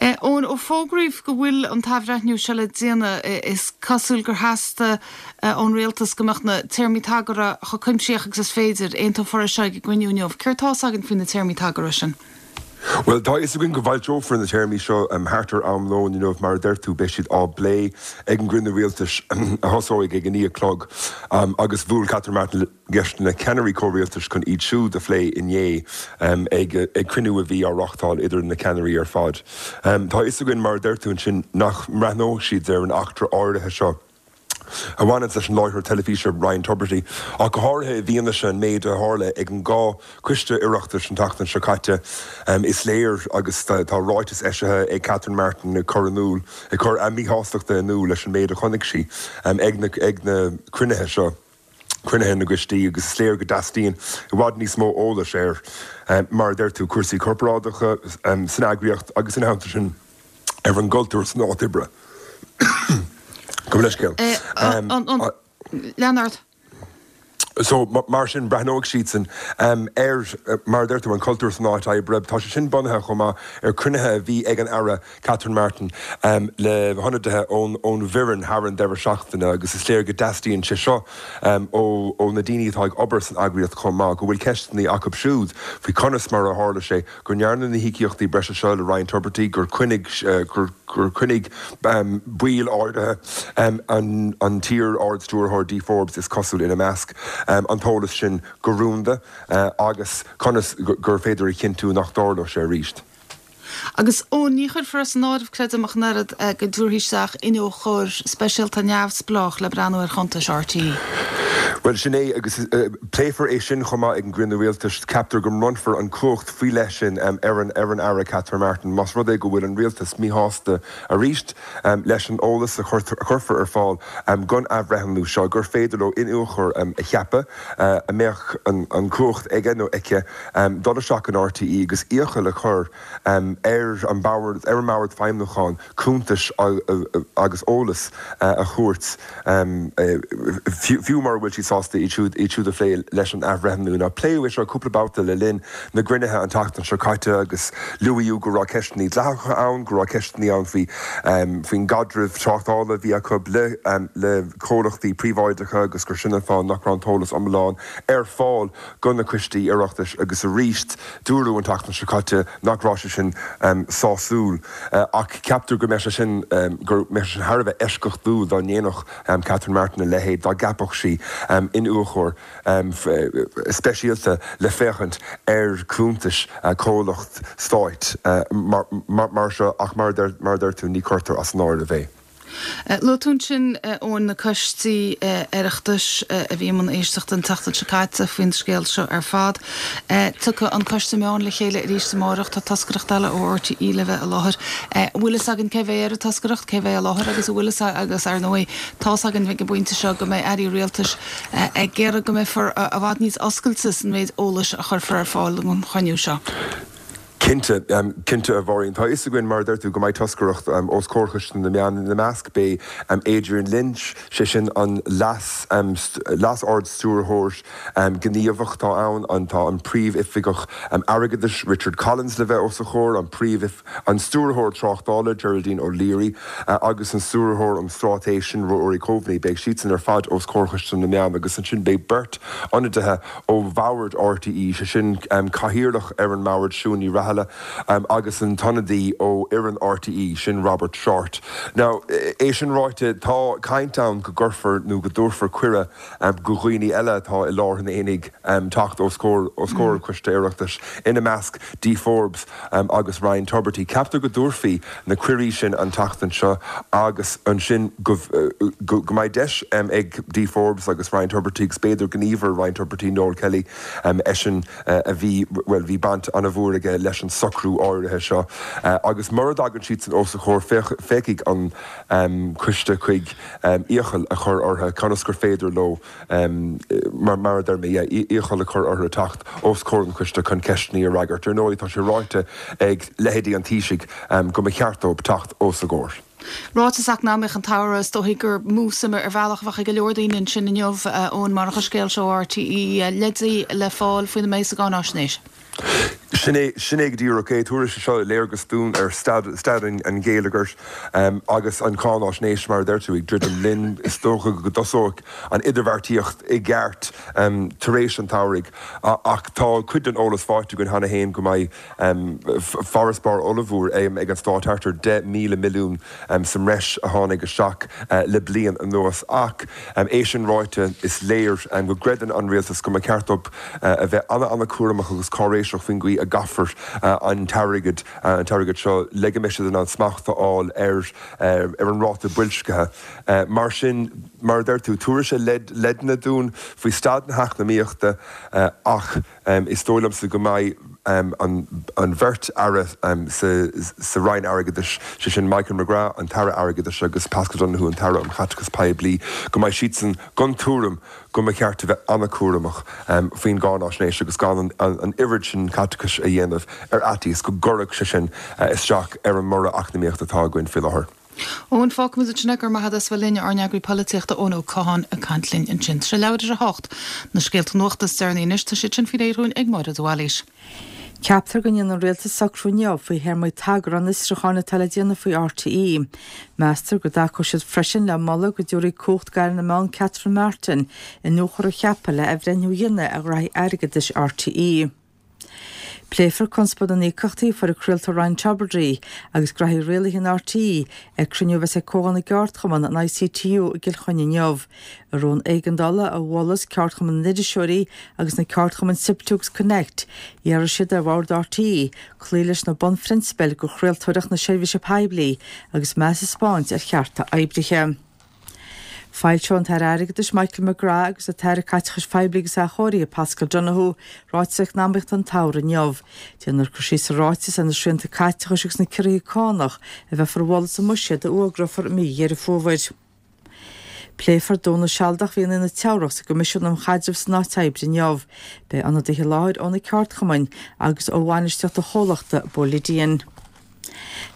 S1: Eoin, ó fógraíodh go bhfuil an t-athbhreithniú seo le déanamh, is cosúil gur theastaigh ón rialtas go mbeadh na téarmaí tagartha chomh cuimsitheach agus is féidir. Aontófar é seo ag an gcruinniú inniu. Céard tá's againn faoi na téarmaí tagartha sin?
S8: Bhuel, tá a fhios againn go bhfoilseofar na téarmaí seo thart ar am lóin inniu. Mar a deir tú, beidh siad á bplé ag an gcruinniú rialtais a thosóidh ag a 9 a chlog agus bhuail Catherine Martin leis na ceannairí comhrialtais chun iad siúd a phlé inné ag cruinniú a bhí á reáchtáil idir na ceannairí ar fad. Tá a fhios againn, mar a deir tú ansin, nach mbreathnóidh siad ar an eachtra áirithe seo. a bhaineanns leis an láithreoir teilifíse Ryan Tubridy, ach go háirithe i bhfianaise an méid a tharla ag an dhá choiste Oireachtais an tseachtain seo caite. Is léir, agus tá ráiteas eisithe ag Catherine Martin ag cur in iúl, ag cur a míshástachta in iúl leis an méid a chonaic sí ag na ag na cruinnithe seo, cruinnithe na gcoistí, agus is léir go dteastaíonn i bhfad níos mó eolais ar, mar a deir tú, cúrsaí corparáideacha san eagraíocht agus ina theannta sin, ar an gcultúr san áit oibre. Gabh mo leithscéal.
S1: Lean ort.
S8: So, mar sin, breathnóidh siadsan ar, mar a deir tú, an cultúr san áit oibre. Tá sé sin bunaithe chomh maith ar chruinnithe a bhí ag an Aire Catherine Martin le hionadaithe ón bhfoireann thar an deireadh seachtaine agus is léir go dteastaíonn sé seo ó na daoine atá ag obair san eagraíocht chomh maith, go bhfuil ceisteanna acu siúd faoi conas mar a tharla sé go ndearnadh na híocaíochtaí breise seo le Ryan Tubridy, gur choinnigh gur choinnigh baill áirithe, an t-iar-Ard-Stiúrthóir Dee Forbes is cosúil ina measc, an t-eolas sin go rúnda agus conas gur féidir a chinntiú nach dtarlódh sé arís.
S1: Agus, ó, ní chuirfear as an áireamh, creidim, ach an oiread, go dtabharfaí isteach iniúchóir speisialta neamhspleách le breathnú ar chuntais RTÉ.
S8: Bhuel, sin é, agus pléifear é sin chomh maith ag an gcruinniú rialtais. Ceaptar go mbronnfar an chumhacht faoi leith sin ar an ar an Aire Catherine Martin más rud é go bhfuil an rialtas míshásta arís leis an eolas a chuirfear ar fáil don athbhreithniú seo, gur féidir leo iniúchóir a cheapadh a mbeadh an chumhacht aige nó aici dul isteach in RTÉ agus iachall a chur ar an mbord ar an mbord feidhmiúcháin cuntais agus eolas a thabhairt, fiú mura bhfuil siad sásta iad siúd iad siúd a phlé leis an athbhreithniú. Now pléadh é seo cúpla babhta le linn na gcruinnithe an tseachtain seo caite agus luaíodh go raibh ceisteanna dleathacha ann, go raibh ceisteanna ann faoi faoin gcaidreamh tráchtála a bhí acu le le comhlachtaí príobháideacha agus gur sin an fáth nach raibh an t-eolas iomlán ar fáil do na coistí Oireachtais agus arís dúradh an tseachtain seo caite nach raibh sé sin sásúil ach ceaptar go mbeadh sé sin go mbeadh sé sin thar a bheith eisceachtúil dá ndéanfadh Catherine Martin a leithéid, dá gceapfadh sí iniúchóir speisialta le féachaint ar chuntais comhlacht stáit mar seo ach mar a deir tú ní chuirtear as an áireamh é.
S1: Luaigh tú ansin, Eoin, na coistí Oireachtais a bhí i mbun éisteachta an tseachtain seo caite faoin scéal seo ar fad. Tiocfaidh an Coiste Meán le chéile arís amárach. Tá toscaireacht eile ó RTÉ le bheith i láthair. An bhfuil fhios againn cé bheidh ar an toscaireacht, cé bheidh i láthair agus an bhfuil fhios agus, ar ndóigh, tá's againn ag an bpointe seo go mbeidh airí rialtais ag iarraidh go mbeifear i bhfad níos oscailte san mhéid eolais a chuirfear ar fáil don chruinniú seo.
S8: Cinnte, cinnte a Mháirín. Tá a fhios againn, mar a deir tú, go mbeidh toscaireacht os comhair Choiste na Meán. Ina measc beidh Adrian Lynch, sé sin an Leas, Leas-Ard-Stiúrthóir Gníomhach atá ann, an, tá an Príomh-Oifigeach Airgeadais Richard Collins le bheith os a chomhair, an Príomh, an Stiúrthóir Tráchtála Geraldine O'Leary agus an Stiúrthóir um Straitéis sin Rory Coveney. Beidh siadsan ar fad os comhair Choiste na Meán agus ansin beidh beirt ionadaithe ó Bhord RTÉ, sé sin Cathaoirleach ar an mBord, Siún Ní Raghallaigh, agus an t-ionadaí ó fhoireann RTÉ, sin Robert Shortt. Now, é sin ráite, tá caint ann go gcuirfear nó go dtabharfar cuireadh go dhaoine eile atá i lár an aonaigh teacht os comhair os comhair an Choiste Oireachtais, ina measc Dee Forbes agus Ryan Tubridy. Ceaptar go dtabharfaí na cuirí sin an tseachtain seo agus ansin go go mbeidh deis ag Dee Forbes agus Ryan Tubridy agus b'fhéidir gníomhaire Ryan Tubridy, Noel Kelly, eisean a bhí, bhuel, bhí baint an-mhór aige leis. leis an socrú áirithe seo agus mura dtagann siadsan os a chomhair féachfaidh an coiste chuig iachall a chur orthu conas gur féidir leo mar a deir mé, iachall a chur orthu teacht os comhair an choiste chun ceisteanna a fhreagairt. Ar ndóigh, tá sé ráite ag leithéidí an Taoisigh go mba cheart dóibh teacht os a gcomhair.
S1: Ráiteas eacnamaíoch an tsamhraidh, is dóichí gur mó suime ar bhealach a bheadh ag go leor daoine ansin inniu, Eoin, marach an scéal seo ó RTÉ, leidí le fáil faoina mbeidh sa gcáináisnéis.
S8: Sin é, sin é go díreach é. Tabharfaidh sé seo léargas dúinn ar staid, staid an gheilleagair agus an cháináisnéis, mar a deir tú, ag druidim linn. Is dócha go dtosóidh an idirbheartaíocht i gceart tar éis an tsamhraidh ach tá cuid den eolas faighte againn cheana féin go mbeidh farasbarr ollmhór ag an stát, thart ar 10,000 milliún sa mbreis a tháinig isteach le bliain anuas. Ach é sin ráite, is léir go gcreideann an rialtas go mba cheart dóibh a bheith an-an-chúramach agus cáiréiseach faoin gcaoi a gcaithfear an t-airgead an t-airgead seo le go mbeidh siad in ann smacht a fháil ar ar an ráta boilscithe. Mar sin, mar a deir tú, tabharfaidh sé leideanna dúinn faoi staid na heacnamaíochta ach Is dóigh liomsa go mbeidh an bheirt aire sa Roinn Airgeadais, sé sin Michael McGrath, an tAire Airgeadais, agus Paschal Donohoe, an tAire um Chaiteachas Poiblí, go mbeidh siadsan den tuairim go mba cheart a bheith an-chúramach faoin gcáináisnéis agus gan an oiread sin caiteachais a dhéanamh ar fhaitíos go gcuirfeadh sé sin isteach ar an mborradh eacnamaíochta atá againn faoi láthair.
S1: Eoin, fágfaimid ansin é, go raibh maith agat as bheith linn, ár n-eagraí polaitíochta Eoin Ó Catháin ag caint linn ansin. Tá sé leathuair tar éis a hocht. Na scéalta nuachta is deireanaí anois, tá siad sin faoi réir dhúinn ag Máire de Bhailís.
S2: Ceaptar go ndéanfaidh an Rialtas socrú inniu faoi théarmaí tagartha an fhiosrúcháin atá le déanamh faoi RTÉ. Meastar go dtacóidh siad freisin le moladh go dtabharfaí cumhacht d'Aire na Meán Catherine Martin iniúchóir a cheapadh le athbhreithniú a dhéanamh ar ghraithí airgeadais RTÉ. Pléifear conspóid na n-íocaíochtaí a fuair an craoltóir Ryan Tubridy agus graithí rialaithe in RTÉ ag cruinniú a bheas ag Comhdháil na gCeardchumann, an ICTU, i gCill Chainnigh inniu. I rún éigeandála a mhol Ceardchumann na nIriseoirí agus na ceardchumainn SIPTU agus Connect, d'iarr siad ar bhord RTÉ cloí leis na bunphrionsabail de chraoltóireacht na seirbhíse poiblí agus meas a 'spáint ar chearta oibrithe. Foilseoidh an tAire Airgeadais Michael McGrath agus an tAire Caiteachais Phoiblí agus Athchóirithe Paschal Donohoe ráiteas eacnamaíochta an tsamhraidh inniu. Déanfar cur síos sa ráiteas ar na srianta caiteachais agus na ciorruithe cánach a bheifear a mholadh sa mbuiséad a fhógrófar i mí Dheireadh Fómhair. Pléifear dúnadh sealadach mhí an Teamhrach sa gCoimisiún um Chaidreamh san Áit Oibre inniu. Beidh ionadaithe i láthair ó na ceardchumainn agus ó bhainistíocht an chomhlachta Boliden.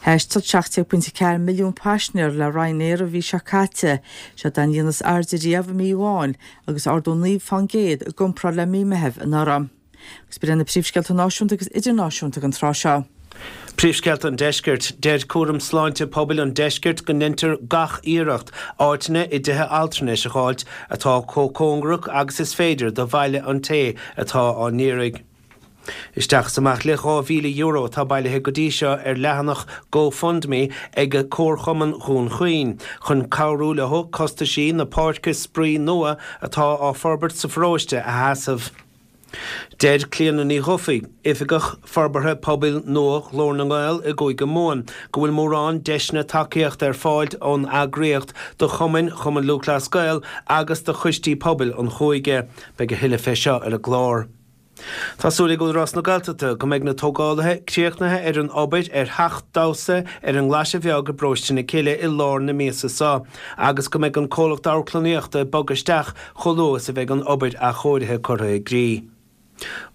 S2: Thaistil 17.4 milliún paisinéir le Ryanair an mhí seo caite, siod é an líon is airde riamh i mí amháin agus ardú 9 fán gcéad i gcomparáid le mí Meithimh anuraidh. Agus b'in iad na príomhscéalta náisiúnta agus idirnáisiúnta don tráth seo.
S3: Príomhscéalta an Deiscirt. Deir Cúram Sláinte Pobail an Deiscirt go ndeintear gach iarracht áiteanna i dtithe altranais a dh'fháilt atá chomh cóngarach agus is féidir do bhaile an té atá á n-iarraidh. Isteach is amach le €2,000 atá bailithe go dtí seo ar leathanach GoFundMe ag Comharchumann Dhún Chaoin chun cabhrú leo costaisí na páirce spraoi nua atá á forbairt sa pharóiste a sheasamh. Deir Clíona Ní Dhufaigh, Oifigeach Forbartha Pobail nua Ghlór na nGael i gCúige Mumhan, go bhfuil mórán deiseanna tacaíochta ar fáil ón eagraíocht do chumainn Chumann Lúthchleas Gael agus do choistí pobail an chúige. Beidh a thuilleadh fé seo ar an gclár. Tá súil ag Údarás na Gaeltachta go mbeidh na tógálaithe críochnaithe ar an obair ar theach damhsa ar an nGlaise Bheag i bparóiste na Cille i lár na míosa seo agus go mbeidh an comhlacht amharclannaíochta ag bogadh isteach chomh luath is a bheidh an obair athchóirithe curtha i gcrích.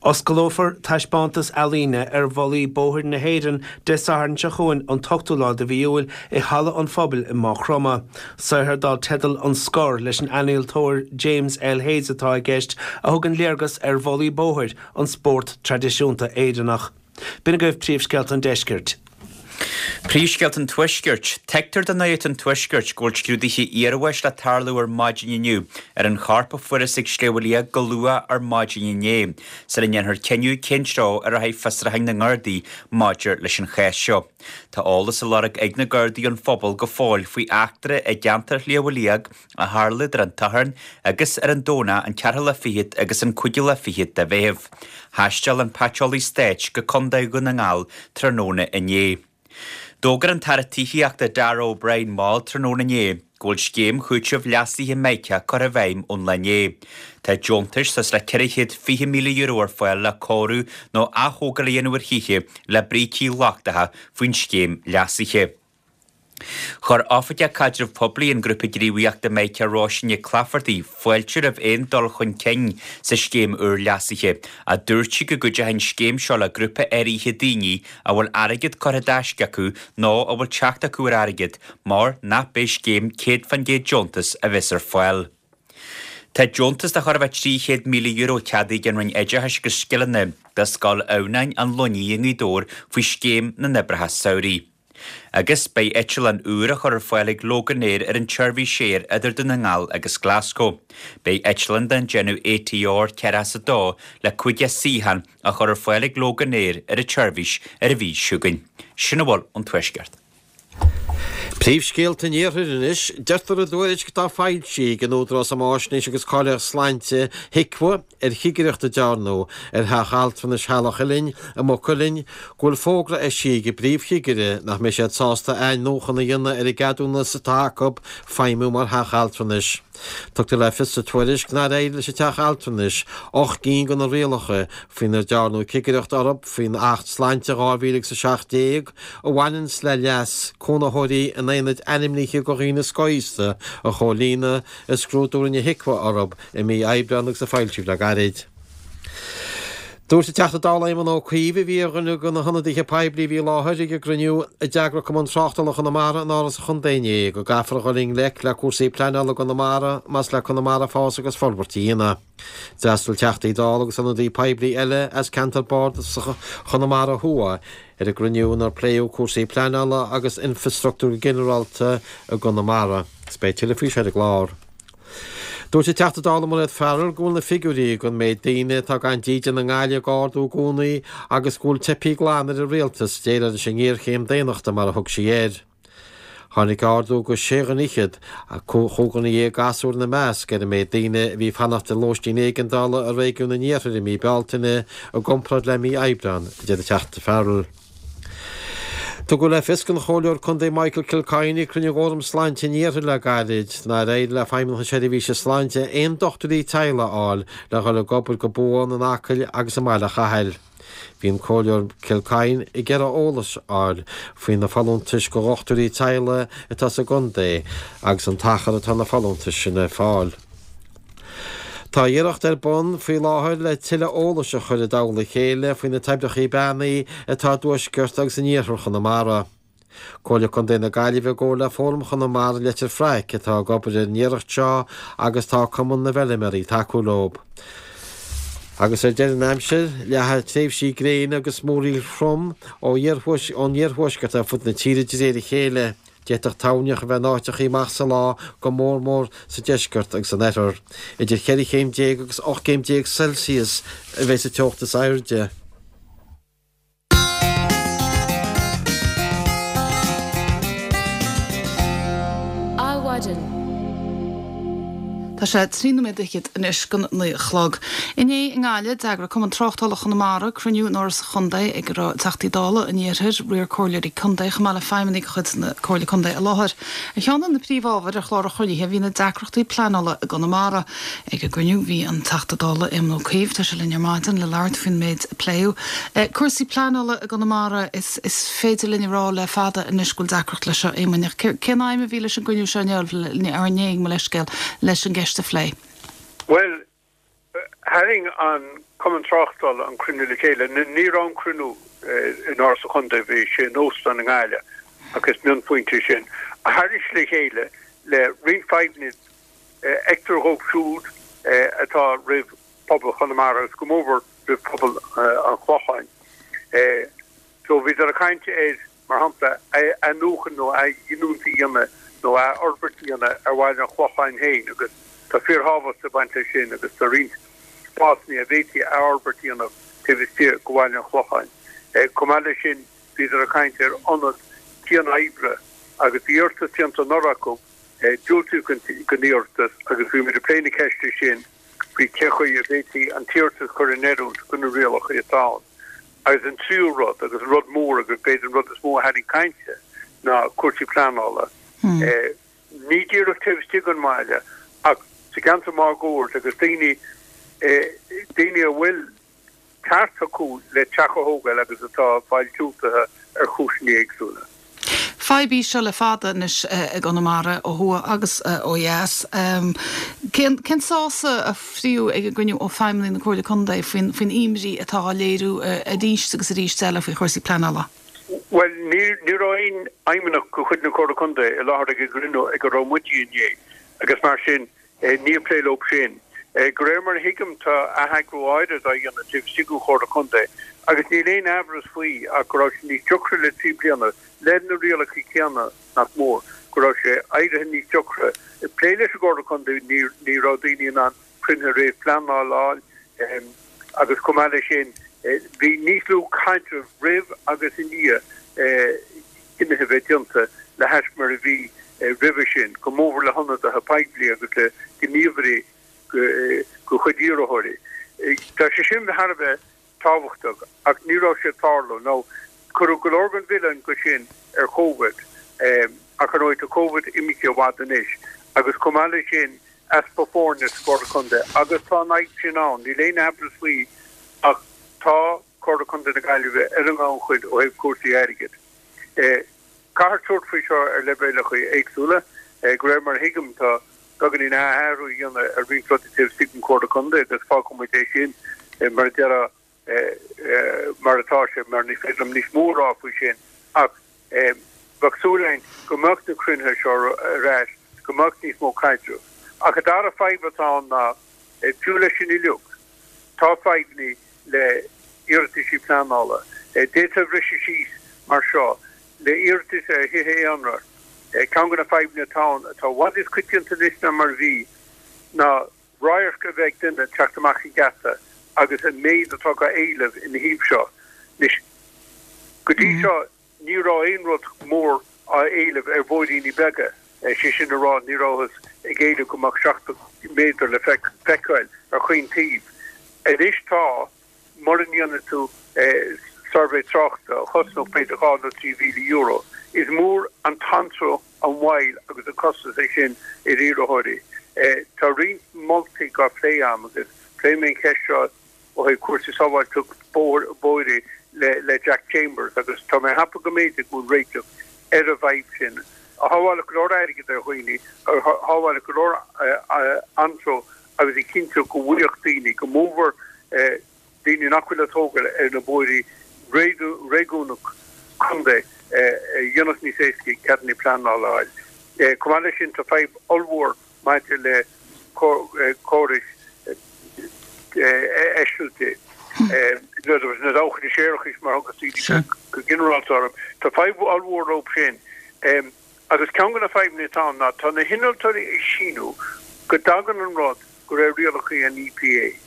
S3: Osclófar taispeántas ealaíne ar mhullaí bóthair na hÉireann Dé Sathairn seo chugainn an t-ochtú lá de mhí Iúil i Halla an Phobail i Maigh Chromtha. Saothar dar teideal An Scor leis an ealaíontóir James L. Hayes atá i gceist, a thugann léargas ar mhullaí bóthair, an spórt traidisiúnta Éireannach. B'in agaibh príomhscéalta an deiscirt.
S4: Príomhscéalta an Tuaiscirt. Tuigtear do Nuacht an Tuaiscirt go bhfuil scrúduithe iarbháis le tarlú ar maidin inniu ar an chorp a fuarthas ag Sliabh Liag go luath ar maidin inné, sula ndéanfar cinneadh cén treo a rachaidh fiosrúchán na nGardaí maidir leis an chás seo. Tá eolas á lorg ag na Gardaí ón phobal go fóill faoi eachtra i gceantar Shliabh Liag a tharla idir an tSatharn agus ar an Domhnach an ceathrú lá fichead agus an cúigiú lá fichead de Mheitheamh. Thaisteal an Paiteolaí Stáit go Contae Dhún na nGall tráthnóna inné. D'fhógair an tAire Tithíochta Darragh O'Brien mall tráthnóna inné go bhfuil scéim chúitimh leasaithe Mica curtha i bhfeidhm ón lá inné. Tá deontais suas le €420,000 ar fáil le cóiriú nó ath-thógáil a dhéanamh ar thithe le brící lochtacha faoin scéim leasaithe. Chuir Oifigeach Caidreamh Poiblí an Ghrúpa Gníomhaíochta Mica Róisín Nic Laifeartaigh fáilte roimh aon dul chun cinn sa scéim úr leasaithe, ach dúirt sí go gcuideoidh an scéim seo le grúpa áirithe daoine a bhfuil airgead curtha i dtaisce acu nó a bhfuil teacht acu ar airgead mar nach b'é scéim 100% deontas a bheas ar fáil. Tá deontas de chóir a bheith €300,000 ceadaithe ag an Roinn Oideachais agus Scileanna do Scoil Adhamhnáin, An Luinnigh i nGaoth Dobhair faoi Scéim na nOibreacha Samhraidh. Agus beidh eitleán úr á chur ar fáil ag Loganair ar an tseirbhís aeir idir Dún na nGall agus Glasgow. Beidh eitleán den déanamh ATR 42 le 50 suíochán á chur ar fáil ag Loganair ar an tseirbhís ar an mhí seo chugainn. Sin a bhfuil ón Tuaisceart.
S5: Príomhscéalta an Iarthair anois. Deirtear i dtuairisc atá foilsithe ag an Údarás um Fháisnéis agus Cáilíocht Sláinte, HIQA, ar chigireacht a dearnadh ar theach altranais Theaghlach Uilinn i Maigh Cuilinn go bhfuil fógra eisithe ag an bpríomhchigire nach mbeidh siad sásta athnuachan a dhéanamh ar an gceadúnas atá acu feidhmiú mar theach altranais. Tugtar le fios sa tuairisc nár éirigh leis an teach altranais 8 gcinn de na rialacha faoinar dearnadh cigireacht orthu faoin Acht Sláinte 2017 a bhaineanns le leas cónaitheoirí in aonaid ainmnithe do dhaoine scothaosta a chomhlíonadh i scrúdú a rinne HIQA orthu i mí Aibreáin agus a foilsíodh le gairid. Dúirt an Teachta Dála Éamon Ó Cuív, a bhí ar dhuine de na hionadaithe poiblí a bhí i láthair ag an gcruinniú a d'eagraigh Cumann Tráchtála Chonamara in Áras an Chontae inné, go gcaithfear a dhul i ngleic le cúrsaí pleanála i gConamara más le Conamara fás agus forbairt a dhéanamh. D'fhreastail Teachtaí Dála agus ionadaí poiblí eile as ceantar bardasach Chonamara Thuaidh ar an gcruinniú inar pléadh cúrsaí pleanála agus infreastruchtúir go ginearálta i gConamara. Is beidh tuilleadh faoi seo ar an gclár. Dúirt an Teachta Dála Mairéad Farrell go bhfuil na figiúirí don méid daoine atá gan dídean i nGaillimh ag ardú i gcónaí agus go bhfuil teipthe glan ar an Rialtas déileáil leis an ngéarchéim daonnachta mar a thug sí air. Tháinig ardú go sé dhuine fhichead, chúig dhuine dhéag gasúr ina measc, ar an méid daoine a bhí ag fanacht i lóistín éigeandála i réigiún an iarthair i mí Bealtaine i gcomparáid le mí Aibreáin, a deir an Teachta Farrell. Tugadh le fios don Chomhairleoir Contae Michael Kilcoyne ag cruinniú Fhóram Sláinte an Iarthair le gairid nár éirigh le Feidhmeannacht na Seirbhíse Sláinte aon dochtúirí teaghlaigh a fháil le dhul ag obair go buan in Acaill agus i mBaile Chathail. Bhí an Comhairleoir Kilcoyne ag iarraidh eolas a fháil faoi na folúntais do dhochtúirí teaghlaigh atá sa gcontae agus an t-achar atá na folúntais sin ar fáil. Tá iarracht ar bun faoi láthair le tuilleadh eolais a chur i dtoll a chéile faoi na toibreacha beannaithe atá i dtuaisceart agus in iarthar Chonamara. Comhairle Contae na Gaillimhe i gcomhar le Fóram Chonamara Leitir Fraic atá ag obair ar an iarracht seo agus tá Cumann na bhFeilméaraí ag tacú leo. Agus ar deireadh an aimsir, leathfaidh tréimhsí gréine agus múraíl throm ón iarthuaisceart ar fud na tíre de réir a chéile. D'fhéadfadh toirneach a bheith in áiteachaí amach sa lá, go mór mór sa deisceart agus san oirthear. Idir cheithre chéim déag agus 18 gcéim Celsius a bheidh sa teocht is airde.
S1: Adhmhaidin. Tá sé 13 nóiméad anois don 9 a chlog. Inné i nGaillimh, d'eagraigh Cumann Tráchtála Chonamara cruinniú in Áras an Chontae ag a raibh Teachtaí Dála an Iarthair, riar comhairleoirí contae chomh maith le feidhmeannaigh de chuid na Comhairle Contae i láthair. Ar cheann de na príomhábhair ar chlár an chruinnithe bhí na deacrachtaí pleanála i gConamara. Ag an gcruinniú bhí an Teachta Dála Éamon Ó Cuív, tá sé linn ar maidin le labhairt faoin méid a pléadh. Cúrsaí pleanála i gConamara, is féidir linn a rá le fada anois go bhfuil deacracht leis seo, Éamoin, ach cén aidhm a bhí leis an gcruinniú seo inniu, inné, mo leithscéal, leis an gceist a phlé?
S9: Bhuel, tharraing an Cumann Tráchtála an cruinniú le chéile. Ní raibh an cruinniú in Áras an Chontae, bhí sé in óstán i nGaillimh, ach is mionphointe é sin. Tharraing sé le chéile le roinnt fadhbanna a fheictear dhóibh siúd atá roimh phobal Chonamara agus go mórmhór roimh phobal an Chlocháin. So bhíodar ag caint ar, mar shampla, athnuachan nó athghiniúint a dhéanamh nó athfhorbairt a dhéanamh ar bhaile an Chlocháin féin agus tá fíorthábhacht ag baint leis sin agus tá roinnt spásanna a bhféadfaí athfhorbairt a dhéanamh taobh istigh de bhaile an Chlocháin. Chomh maith leis sin bhíodar ag caint ar ionad cian-oibre agus bhí iarratas déanta anuraidh acu, diúltaíodh don iarratas agus bhí muid ag plé na ceiste sin faoi cén chaoi a bhféadfaí an t-iarratas a chur in oiriúint do na rialacha atá ann. Agus an tríú rud, agus an rud mór agus b'fhéidir an rud is mó a tharraing cainte. ná cúrsaí pleanála. Ní díreach taobh istigh den bhaile ach sa gceantar máguaird agus daoine, daoine a bhfuil ceart acu le teach a thógáil agus atá ag fáil diúltaithe ar chúiseanna éagsúla.
S1: Fadhb í seo le fada anois i gConamara, ó thuaidh agus ó dheas. Cén cén sásamh a fríodh ag an gcruinniú ó feidhmeannaigh na Comhairle Contae faoin faoin imní atá á léiriú arís agus arís eile faoi chúrsaí pleanála?
S9: Bhuel, ní ní raibh aon fheidhmeannach de chuid na Comhairle Contae i láthair ag an gcruinniú ag a raibh muide inné agus mar sin Níor pléadh leo sin. De réir mar a thuigim, tá atheagrú áirid á dhéanamh taobh istigh den Chomhairle Contae agus níl aon amhras faoi ach go raibh sé níos deacra le 3 bliana, le na rialacha céanna nach mór, go raibh sé éirithe níos deacra plé leis an gComhairle Contae, ní raibh daoine in ann cruinnithe réamhphleanála a fháil agus chomh maith leis sin bhí níos lú caidrimh roimh agus i ndiaidh cinnithe a bheith déanta le hais mar a bhí roimhe sin, go mórmhór le hionadaithe poiblí agus le gníomhairí de chuid iarrthóirí. Tá sé sin thar a bheith tábhachtach ach ní raibh sé ag tarlú. Now, cuireadh go leor den mhilleán de sin ar Covid ach ar ndóigh tá Covid imithe i bhfad anois agus chomh maith leis sin easpa foirne sa Chomhairle Contae agus tá an fhadhb sin ann, níl aon amhras faoi ach tá Comhairle Contae na Gaillimhe ar an ngannchuid ó thaobh cúrsaí airgid. Caithfear tabhairt faoi seo ar leibhéalacha éagsúla. De réir mar a thuigim, tá beagáinín athrú á dhéanamh ar roinnt rudaí taobh istigh den Chomhairle Contae agus fágfaidh muid é sin mar a déarfá mar atá sé mar ní féidir liom níos mó a rá faoi sin ach bheadh súil againn go mbeadh na cruinnithe seo ar ais, go mbeadh níos mó caidrimh. Ach an dara fadhb atá ann ná, fiú leis sin uilig, Tá fadhbanna le iarrataisí pleanála. D'fhéadfá a bhriseadh síos mar seo, le iarratais ar thithe aonair, ceann de na fadhbanna atá ann, atá i bhfad níos coitianta anois ná mar a bhí, ná radharc a bheith ag duine teacht amach an geata agus an méid atá á éileamh ina thaobh seo. Anois, go dtí seo, Ní raibh aon rud mór á éileamh ar bhóithríní beaga, sé sin a rá, ní rabhthas ag éileamh go mbeadh 70 méadar le feiceáil ar chaon taobh. Anois tá, mura ndéanfaidh tú suirbhé tráchta a chosnódh b'fhéidir €2,000 nó €3,000. Is mór an t-anró, an mhoill agus an costas é sin ar iarrthóirí. Tá roinnt moltaí á phlé agam agus pléifidh mé an cheist seo ó thaobh cúrsaí sábháilteacht bóithre le Jack Chambers agus tá mé ag ceapadh go mb'fhéidir go bhfuil réiteach ar an bhfadhb sin, a shábhálfadh go leor airgid ar dhaoine, a shábhálfadh go leor anró agus a chinnteodh go bhfaigheadh daoine, go mórmhór daoine nach bhfuil ag tógáil ar na bóithrí réigiúnach contae, a dhéanfadh níos éasca ceadanna pleanála a fháil. Chomh maith leis sin tá fadhb ollmhór maidir le córais eisilte, na dabhchanna séarachais mar a thugas daoine go ginearálta orthu. Tá fadhb ollmhór leo sin. Agus ceann de na fadhbanna atá ann ná tá na hinnealtóirí ag síniú go dtagann an rud de réir rialacha an EPA.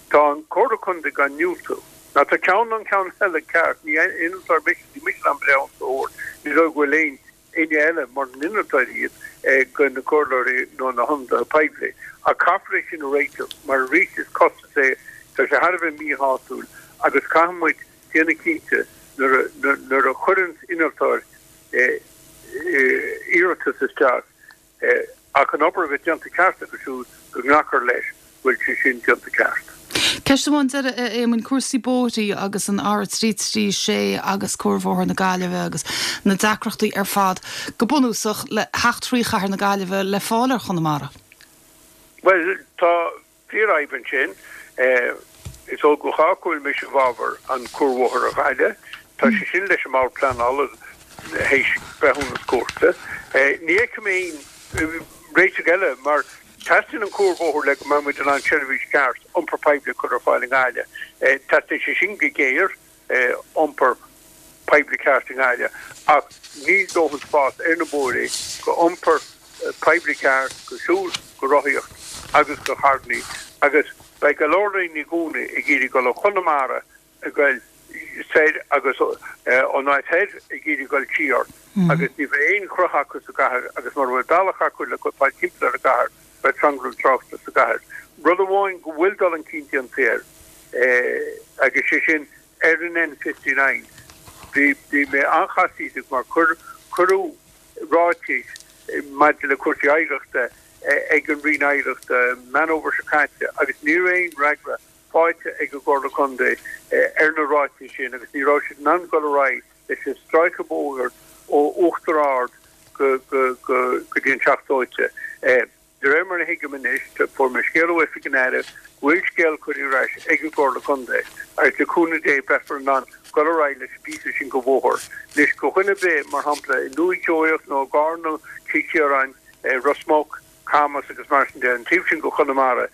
S9: Tá an Comhairle Contae á ndiúltú. Now tá ceann an ceann eile ceart, ní innealtóir mise, níl mise in ann breithiúnas a thabhairt, ní dóigh go bhfuil aon éinne eile mura n-innealtóirí iad de na comhairleoirí nó na hionadaithe poiblí. Ach caithfear é sin a réiteach mar arís is costas é, tá sé thar a bheith míshásúil agus caithfidh muid déanamh cinnte nuair a chuireann innealtóir iarratas isteach Ach an obair a bheith déanta ceart acu siúd go nglacfar leis go bhfuil sé sin déanta ceart.
S1: Ceist amháin deiridh, a Éamoinn, cúrsaí bóithrí agus an R336 agus Cuarbhóthar na Gaillimhe agus na deacrachtaí ar fad, go bunúsach, le theacht thrí chathair na Gaillimhe le fáil ar Chonamara.
S9: Bhuel, tá Fíorfhadhb ansin. Is eol do chách go bhfuil mise i bhfabhar an cuarbhóthar a Ghaillimh. Tá sé sin leis an mBord Pleanála théis breithiúnas cúirte. Ní fheicim aon réiteach eile mar teastaíonn an cuarbhóthar le go mbeidh muid in ann seirbhís cheart iompar poiblí a chur ar fáil i nGaillimh. Teastaíonn sé sin go géar. iompar poiblí ceart i nGaillimh ach níl dóthain spás ar na bóithrí go iompar poiblí ceart, go siúl, go rothaíocht agus go carrannaí agus beidh go leor daoine i gcónaí ag iarraidh dul ó Chonamara ag goil soir agus ón áit thoir ag iarraidh dul siar agus ní bheidh aon chruth acu sa gcathair agus mura bhfuil bealach acu le fáil timpeall ar an gcathair beidh tranglam tráchta sa gcathair. Rud amháin go bhfuil dul chun cinn déanta air, agus sé sin ar an N59, bhí mé an-chasaoideach mar chuir. Cuireadh ráitis maidir le cúrsaí oidhreachta ag an Roinn Oidhreachta Meán Fómhair seo caite agus ní raibh aon fhreagra faighte ag an gComhairle Contae ar na ráitis sin agus ní raibh siad in ann dul ar aghaidh leis an stráice bóthair ó Uachtar Ard go dtí an Teach Dóite. De réir mar a thuigim anois, fuair mé scéal ó Oifig an Aire go bhfuil scéal curtha ar ais ag an gComhairle Contae agus le cúnamh Dé beifear in ann dul ar aghaidh leis an bpíosa sin de bhóthar. Anois, do dhuine ar bith, mar shampla, i nDúiche Sheoigheach nó i gCarna, Cill Chiaráin, Ros Muc, Camas agus mar sin de, an taobh sin de Chonamara,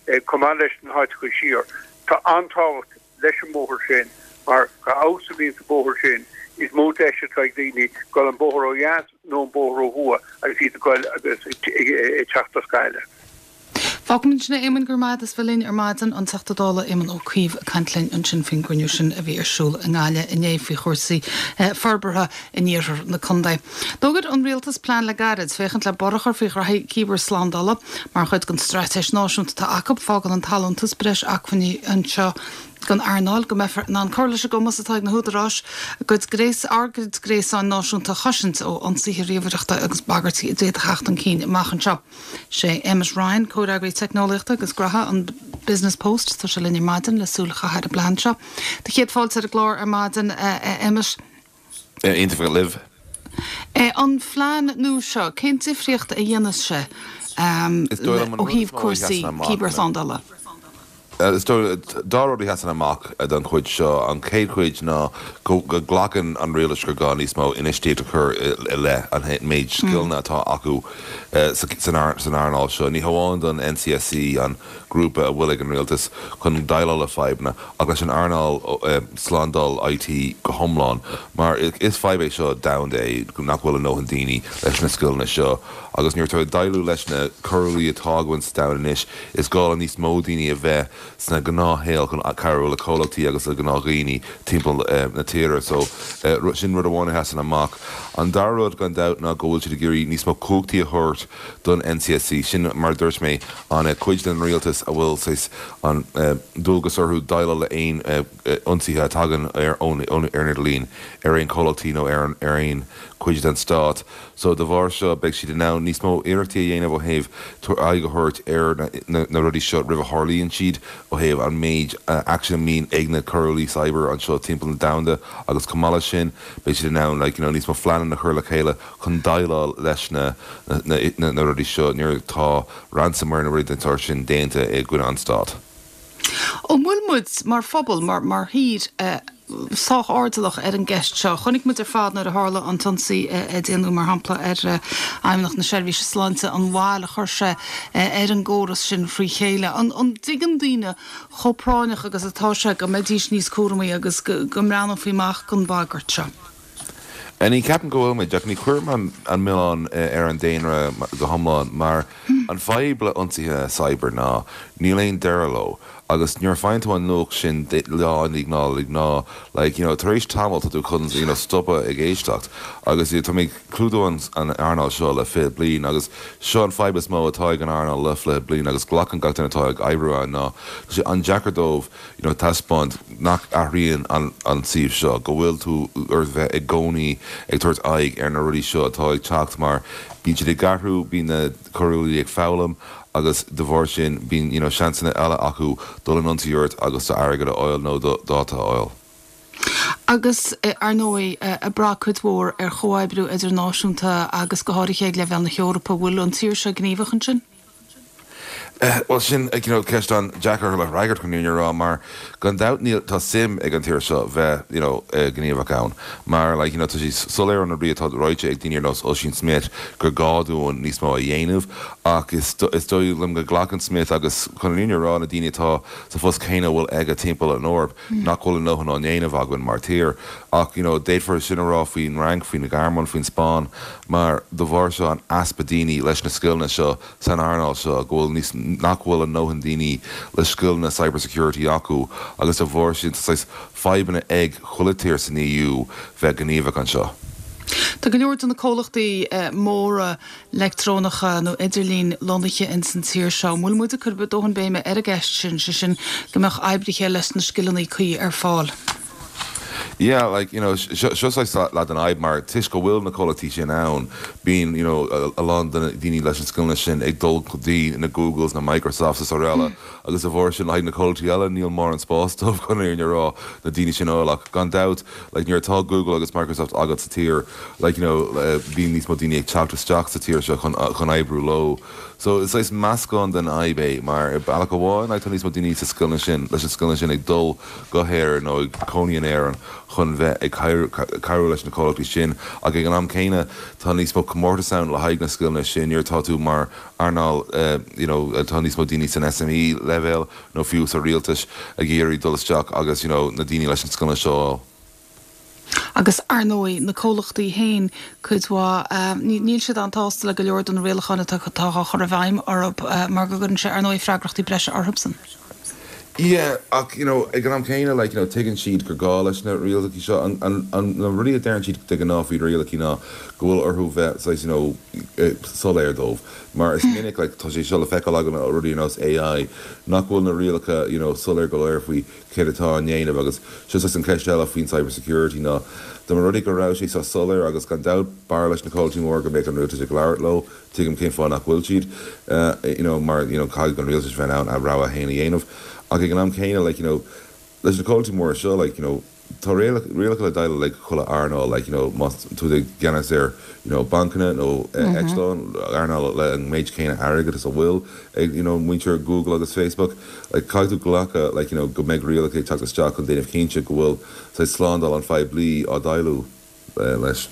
S9: chomh maith leis na háiteacha siar, tá an-tábhacht leis an mbóthar sin mar dá fheabhas a bhíonns an bóthar sin is mó deis atá ag daoine dul an bóthar ó dheas nó an bóthar ó thuaidh agus iad ag goil agus ag teacht as Gaillimh.
S1: Fágfaimid ansin é, Éamon, go raibh maith agat as bheith linn ar maidin. An Teachta Dála Éamon Ó Cuív ag caint linn ansin faoin gcruinniú sin a bhí ar siúl i nGaillimh inné faoi chúrsaí forbartha in iarthar na contae. D'fhógair an Rialtas plean le gairid féachaint le borradh a chur faoi ghraithí cibearshlándála. Mar chuid den straitéis náisiúnta atá acu, fágann an t-allúntas breis acmhainní anseo don earnáil go mbeifear in ann cur leis an gcumas atá ag na húdaráis a gcuid gréas, ár gcuid gréasáin náisiúnta a chosaint ó ionsaithe ríomhaireachta agus bagairtí a d'fhéadfadh theacht chun cinn amach anseo. Sé Emmet Ryan, Comhfhreagraí Teicneolaíochta agus Graithe an Business Post, tá sé linn ar maidin le súil a chaitheamh ar an bplean seo. Do chéad fáilte ar an gclár ar maidin, a Emmet.
S10: Iontach a bheith libh.
S1: An phlean nua seo, cén difríocht a dhéanfas sé ó thaobh cúrsaí cibearshlándála?
S10: Is dóigh dá rud a sheasann amach don chuid seo. An chéad chuid ná go nglacann an rialtas gur gá níos mó infheistíocht a chur i leith an méid scileanna atá acu san earnáil seo, ní hamháin don NCSC, an grúpa a bhfuil ag an rialtas chun déileáil le fadhbanna, ach leis an earnáil slándáil IT go hiomlán, mar is fadhb é seo domhanda é nach bhfuil a ndóthain daoine leis na scileanna seo agus nuair atá ag déileáil leis na coiriúlaigh atá againn sa domhan anois, is gá le níos mó daoine a bheith sna gnáthshaol chun cabhrú le comhlachtaí agus le gnáthdhaoine timpeall na tíre. So, sin rud amháin a sheasann amach. An dara rud, gan dabht, ná go bhfuil siad ag iarraidh níos mó cumhachtaí a thabhairt don NCSC. Sin, mar a dúirt mé, an cuid den rialtas a bhfuil saghas an dualgas orthu déileáil le aon ionsaithe a tagann ar an idirlíon ar aon chomhlachtaí nó ar aon chuid den stát. So de bharr seo beidh siad in ann níos mó iarrachtaí a dhéanamh ó thaobh aghaidh a thabhairt ar na rudaí seo roimh a tharlaíonn siad, ó thaobh an méid aicsean a mbíonn ag na coiriúlaigh cyber anseo timpeall na domhanda agus chomh maith leis sin beidh siad in ann like you know níos mó phleananna a chur le chéile chun déileáil leis na na rudaí seo nuair atá ransomware nó rudaí den tsórt sin déanta i gcoinne an stáit.
S1: An bhfuil muid, mar phobal, mar mar thír, sách airdeallach ar an gceist seo? Chonaic muid ar fad nuair a tharla an t-ionsaí a déanadh, mar shampla, ar Fheidhmeannacht na Seirbhíse Sláinte, an bhail a chuir sé ar an gcóras sin frí chéile. An dtuigeann daoine chomh práinneach agus atá sé go mbeidís níos cúramaí agus go mbreathnófaí amach don bhagairt seo?
S10: Ní cheapaim go bhfuil muid, ach ní chuirim an milleán ar an daonra go hiomlán, mar an fadhb le ionsaithe cyber ná níl aon deireadh leo, agus nuair a faigheann tú an nuacht sin lá i ndiaidh lá i ndiaidh lá, like, you know, tar éis tamaill tá tú chun, you know, stopadh ag éisteacht. Agus you know, tá mé ag clúdú an earnáil seo le 20 bliain agus seo an fadhb is mó atá ag an earnáil le 20 bliain agus glacann gach duine atá ag oibriú ann ná tá sé an-deacair dóibh you know taispeáint nach athraíonn an an suíomh seo, go bhfuil tú ort bheith i gcónaí ag tabhairt aghaidh ar na rudaí seo atá ag teacht mar bíonn siad ag athrú, bíonn na coiriúlaigh ag foghlaim agus de bharr sin bíonn you know seansanna eile acu dul in ionsaí ort agus do airgead a fháil nó do dháta a fháil.
S1: Agus, ar ndóigh, ag brath cuid mhór ar chomhoibriú idirnáisiúnta agus go háirithe ag leibhéal na hEorpa, bhfuil an tír seo gníomhach ansin?
S10: Bhuel, sin, you know, ceist an-deacair le freagairt chun an fhírinne a rá mar gan dabht níl, tá suim ag an tír seo bheith, you know, gníomhach ann mar like, you know, tá sé soiléir ó na rudaí atá ráite ag daoine ar nós Ossian Smyth gur gá dúinn níos mó a dhéanamh ach is, is dóigh liom go nglacann Smyth agus chun an fhírinne a rá na daoine atá sa phost céanna a bhfuil aige timpeall an Eoraip nach bhfuil a ndóthain á ndéanamh againn mar tír ach, you know, d'fhéadfar sin a rá faoin Fhrainc, faoin Ghearmáin, faoin Spáinn mar de bharr seo an easpa daoine leis na scileanna seo san earnáil seo, go bhfuil níos, nach bhfuil a ndóthain daoine le scileanna cyber security acu agus de bharr sin tá saghas fadhbanna ag chuile tír san EU bheith gníomhach anseo.
S1: Tá go leor de na comhlachtaí móra leictreonacha nó idirlín lonnaithe ins an tír seo. An bhfuil muid ag cur dóthain béime ar an gceist sin, sé sin go mbeadh oibrithe leis na scileanna cuí ar fáil?
S10: Yeah, like, you know, seo saghas leath den fhadhb mar toisc go bhfuil na comhlachtaí sin ann, bíonn, you know, a lán de na daoine leis na scileanna sin ag dul go dtí na Googles, na Microsofts is araile agus de bharr sin le haghaidh na comhlachtaí eile níl mórán spáis dóibh chun an fhírinne a rá, na daoine sin a fháil ach gan dabht, like, nuair atá Google agus Microsoft agat sa tír, like, you know, bíonn níos mó daoine ag teacht isteach sa tír seo chun, chun oibriú leo. So is saghas meascán den fhadhb é mar ar bealach amháin, like, tá níos mó daoine sa scileanna sin, leis na scileanna sin ag dul go hÉirinn nó ag cónaí in Éirinn chun bheith ag cabhrú leis na comhlachtaí sin ach ag an am céanna tá níos mó comórtas ann le haghaidh na scileanna sin nuair atá tú mar earnáil you know tá níos mó daoine san SME leibhéal nó fiú sa rialtas ag iarraidh dul isteach agus you know na daoine leis na scileanna seo a fháil.
S1: Agus, ar ndóigh, na comhlachtaí féin, cuid mhaith, níl siad an-tsásta le go leor de na rialacháin atá á chur i bhfeidhm orthu mar go gcuireann sé, ar ndóigh, freagrachtaí breise orthubsan.
S10: Yeah, ach, you know, ag an am céanna, like, you know, tuigeann siad gur gá leis na rialacha seo. An, an, an, na rudaí a deireann siad de ghnáth faoi rialacha ná go bhfuil orthu bheith saghas, you know, soiléir dóibh. Mar is minic, like, tá sé seo le feiceáil againn ó rudaí ar nós AI, nach bhfuil na rialacha, you know, soiléir go leor faoi céard atá á ndéanamh agus seo saghas an cheist eile faoin cyber security ná dá mba rud é go raibh sé seo soiléir agus gan dabht b'fhearr leis na comhlachtaí móra go mbeadh an rialtas ag labhairt leo, tuigim cén fáth nach bhfuil siad you know mar you know caithfidh an rialtas bheith in ann a rogha fhéin a dhéanamh ach ag an am céanna like you know leis na comhlachtaí móra seo like you know Tá rialacha le déileáil le chuile earnáil, like, you know, más tú i gceannas ar, you know, bancanna nó eitleáin, earnáil le an méid céanna airgid is a bhfuil ag, you know, muintir Google agus Facebook, like, caithfidh tú glacadh, like, you know, go mbeidh rialacha ag teacht isteach chun déanamh cinnte go bhfuil, saghas, slándáil an phoiblí á déileáil leis.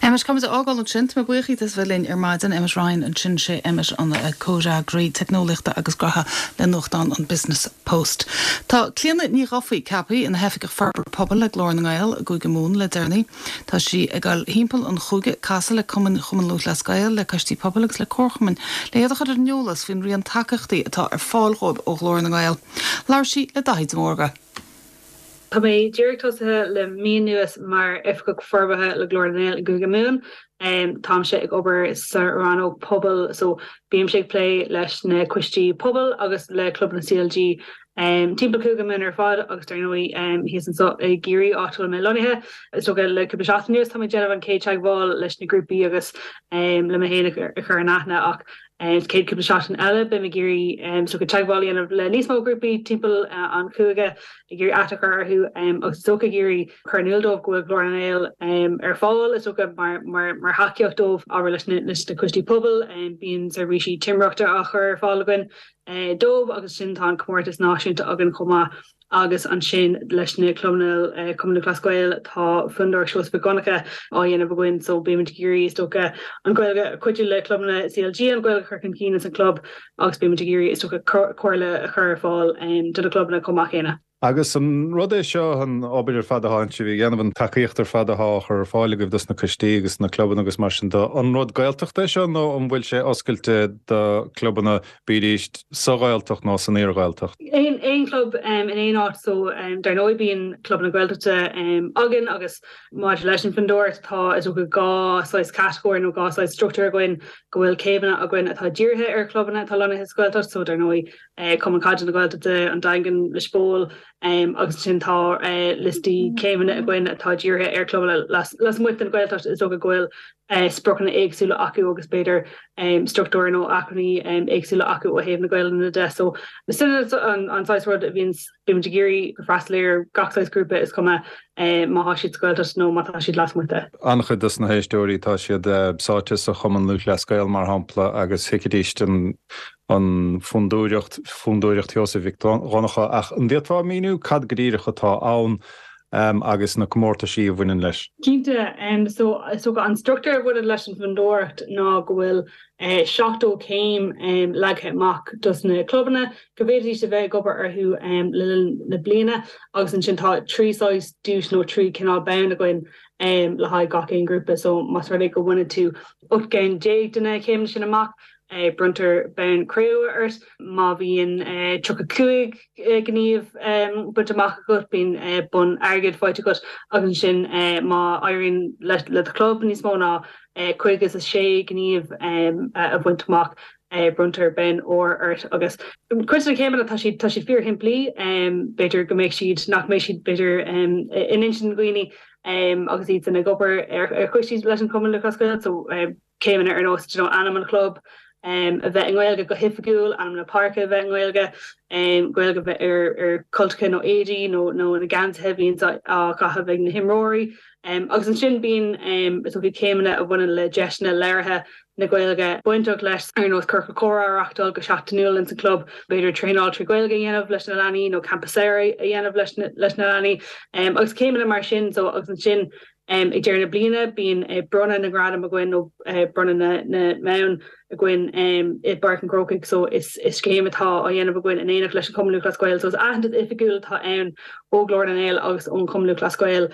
S1: Emmet, Táimid á fhágáil ansin. Tá mé buíoch díot as bheith linn ar maidin. Emmet Ryan ansin, sé Emmet an comhfhreagraí teicneolaíochta agus gnoithe le nuachtán an Business Post. Tá Clíona Ní Dhufaigh ceaptha ina hOifigeach Forbartha Pobail le Glór na nGael i gCúige Mumhan le deireanaí. Tá sí ag dul thimpeall an chúige ag casadh le cumainn Chumann Lúthchleas Gael, le coistí pobail agus le comharchumainn le iad a chur ar an eolas faoin raon tacaíochtaí atá ar fáil dhóibh ó Ghlór na nGael. Labhair sí le Daithí de Mórdha.
S11: Tá mé díreach tosaithe le mí anuas mar Oifigeach Forbartha le Glór na nGael i gCúige Mumhan. Táimse ag obair sa rannóg pobail so bímse ag plé leis na coistí pobail agus le clubanna CLG timpeall Cúige Mumhan ar fad agus dar ndóigh thíos anseo i gCiarraí áit a bhfuil mé lonnaithe. Is dócha le cúpla seachtain anuas tá mé ag déanamh an chéad teagmháil leis na grúpaí agus le mé féin a chur in aithne ach Sa chéad cúpla seachtain eile, beidh mé ag iarraidh is dócha teagmháil a dhéanamh le níos mó grúpaí timpeall an chúige, ag iarraidh aithne a chur orthu agus is dócha ag iarraidh cur in iúl dóibh go bhfuil Glór na nGael ar fáil, is dócha, mar thacaíocht dóibh. Abair leis na coistí pobail, bíonn seirbhísí timireachta á chur ar fáil againn dóibh agus ansin tá an comórtas náisiúnta againn chomh maith. Agus ansin leis na clubanna Cumann Lúthchleas Gael tá Fondúireacht Seosamh Mhic Dhonncha á dhéanamh againn so bímid ag iarraidh is dócha an Ghaeilge cuidiú le clubanna CLG an Ghaeilge a chur chun cinn ins an club agus bímid ag iarraidh is dócha comhairle a chur ar fáil do na clubanna chomh maith céanna.
S12: Agus an rud é seo, an obair ar fad atá sibh a dhéanamh, an tacaíocht ar fad atá á chur ar fáil agaibh dos na coistí agus na clubanna agus mar sin de, an rud Gaeltachta é seo nó an bhfuil sé oscailte do clubanna bídís sa Ghaeltacht nó san iar-Ghaeltacht.
S11: Aon chlub in aon áit so dar ndóigh bíonn clubanna Gaeltachta againn agus maidir leis an Fondúireacht tá is dócha dhá saghas catagóir nó dhá saghas struchtúr againn go bhfuil céimeanna againn atá dírithe ar chlubanna atá lonnaithe sa Ghaeltacht so dar ndóigh Cumann Caide na Gaeltachta, an Daingean, Lios Póil agus ansin tá liostaí céimeanna againn atá dírithe ar chlubanna lasmuigh den Ghaeltacht is dócha go bhfuil spriocanna éagsúla acu agus b'fhéidir struchtúir nó acmhainní éagsúla acu ó thaobh na Gaelainne de. So sin an saghas rud a bhíonns, bímid ag iarraidh go freastal ar gach saghas grúpa is cuma má thá siad sa Ghaeltacht nó má tá siad lasmuigh de.
S12: An-chuid dos na héisteoirí tá siad sáite sa Chumann Lúthchleas Gael mar shampla agus thuigfidís an an Fondúireacht, Fondúireacht Sheosaimh Mhic Dhonncha ach an bhféadfá a mhíniú cad go díreach atá ann? agus na comórtaisí a bhaineann leis.
S11: Cinnte. So is dócha an struchtúr a bhaineann leis an bhFondúireacht ná go bhfuil 70 céim leagtha amach dos na clubanna go bhféadfaidís a bheith ag obair orthu le linn na bliana agus ansin tá 3 saghas duais nó 3 cineál bonn againn le haghaidh gach aon ghrúpa. So más rud é go mbaineann tú 18 gceann de na céimeanna sin amach, Bronntar bonn cré-umha ort má bhíonn 35 gníomh bainte amach agat, bíonn bonn airgid faighte agat agus ansin má éiríonn le do chlub níos mó ná 56 gníomh a bhaint amach. bronntar bonn óir ort agus cuid de na céimeanna tá siad tá siad fíorshimplí, b'fhéidir go mbeidh siad, nach mbeidh siad b'fhéidir in intinn dhaoine agus iad san ag obair ar choistí leis an Chumann Lúthchleas Gael so céimeanna ar nós you know ainm an chlub a bheith i nGaeilge go hoifigiúil, ainm na páirce a bheith i nGaeilge, Gaeilge a bheith ar ar cultacha nó éadaí nó nó na geansaithe a bhíonns á gcaitheamh ag na himreoirí. Agus ansin bíonn is dócha céimeanna a bhaineann le deiseanna labhartha na Gaeilge bainteach leis, ar nós ciorcal comhrá a reachtáil go seachtainiúil ins an chlub, b'fhéidir traenáil trí Ghaeilge a dhéanamh leis na leanaí nó campa samhraidh a dhéanamh leis leis na leanaí agus céimeanna mar sin. So agus ansin ag deireadh na bliana bíonn bronnadh na ngradam againn nó bronnadh na na mbonn againn i bPáirc an Chrócaigh so is is scéim atá á dhéanamh againn in éineacht leis an Chumann Lúthchleas Gael so is aitheantas oifigiúil atá ann ó Ghlór na nGael agus ón Chumann Lúthchleas Gael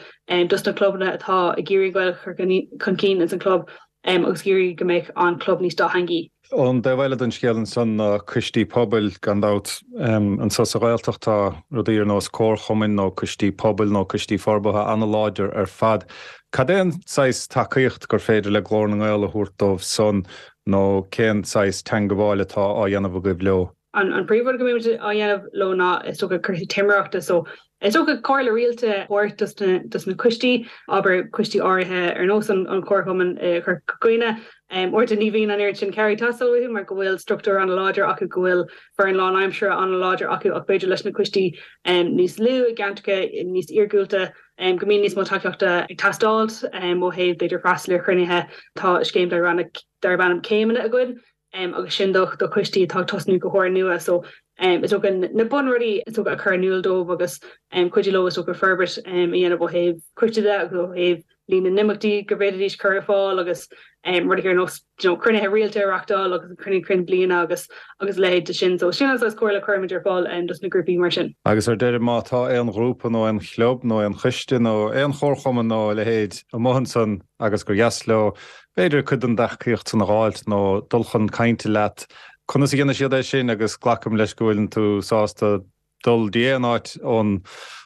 S11: dos na clubanna atá ag iarraidh an Ghaeilge a chur chun cinn ins an chlub. agus ag iarraidh go mbeadh an club níos dátheangaí.
S12: An taobh eile den scéal ansan ná coistí pobail, gan dabht. Anso sa Ghaeltacht tá rudaí ar nós comharchumainn nó coistí pobail nó coistí forbartha an-láidir ar fad. Cad é an saghas tacaíocht gur féidir le Glór na nGael a thabhairt dóibh san nó cén saghas teangabháil atá á dhéanamh agaibh leo?
S11: An príomhrud go mbímid á dhéanamh leo ná is dócha cúrsaí timireachta so is dócha comhairle rialta a thabhairt dos na dos na coistí, abair coistí áirithe ar nós an an Chomharchumann i Corca Dhuibhne. Uaireanta ní bhíonn an oiread sin cabhair ag teastáil uathu mar go bhfuil struchtúr an-láidir acu, go bhfuil foireann lánaimseartha an-láidir acu ach b'fhéidir leis na coistí níos lú i gceantracha níos iargúlta go mbíonn níos mó tacaíochta ag teastáil ó thaobh b'fhéidir freastal ar chruinnithe. Tá scéim darb ainm Céimeanna againn agus sin do do choistí atá ag tosnú go húrnua so is dócha na bunrudaí is dócha a chur in iúl dóibh agus cuidiú leo is dócha forbairt a dhéanamh ó thaobh coiste de agus ó thaobh líon na n-imeachtaí go bhféadfaidís cur ar fáil agus rudaí ar nós you know cruinnithe rialta a reachtáil agus an cruinniú cinn bliana agus agus a leithéid de sin. So sin an saghas comhairle a chuirimid ar fáil dos na grúpaí mar sin.
S12: Agus ar deireadh má tá aon ghrúpa nó aon chlub nó aon choiste nó aon chomharchumann nó a leithéid amuigh ansan agus gur dheas leo b'fhéidir, cuid den dtacaíocht san a dh'fháilt nó dul chun cainte leat. Conas a dhéanfaidh siad é sin agus glacaim leis go bhfuileann tú sásta dul dtí aon áit ón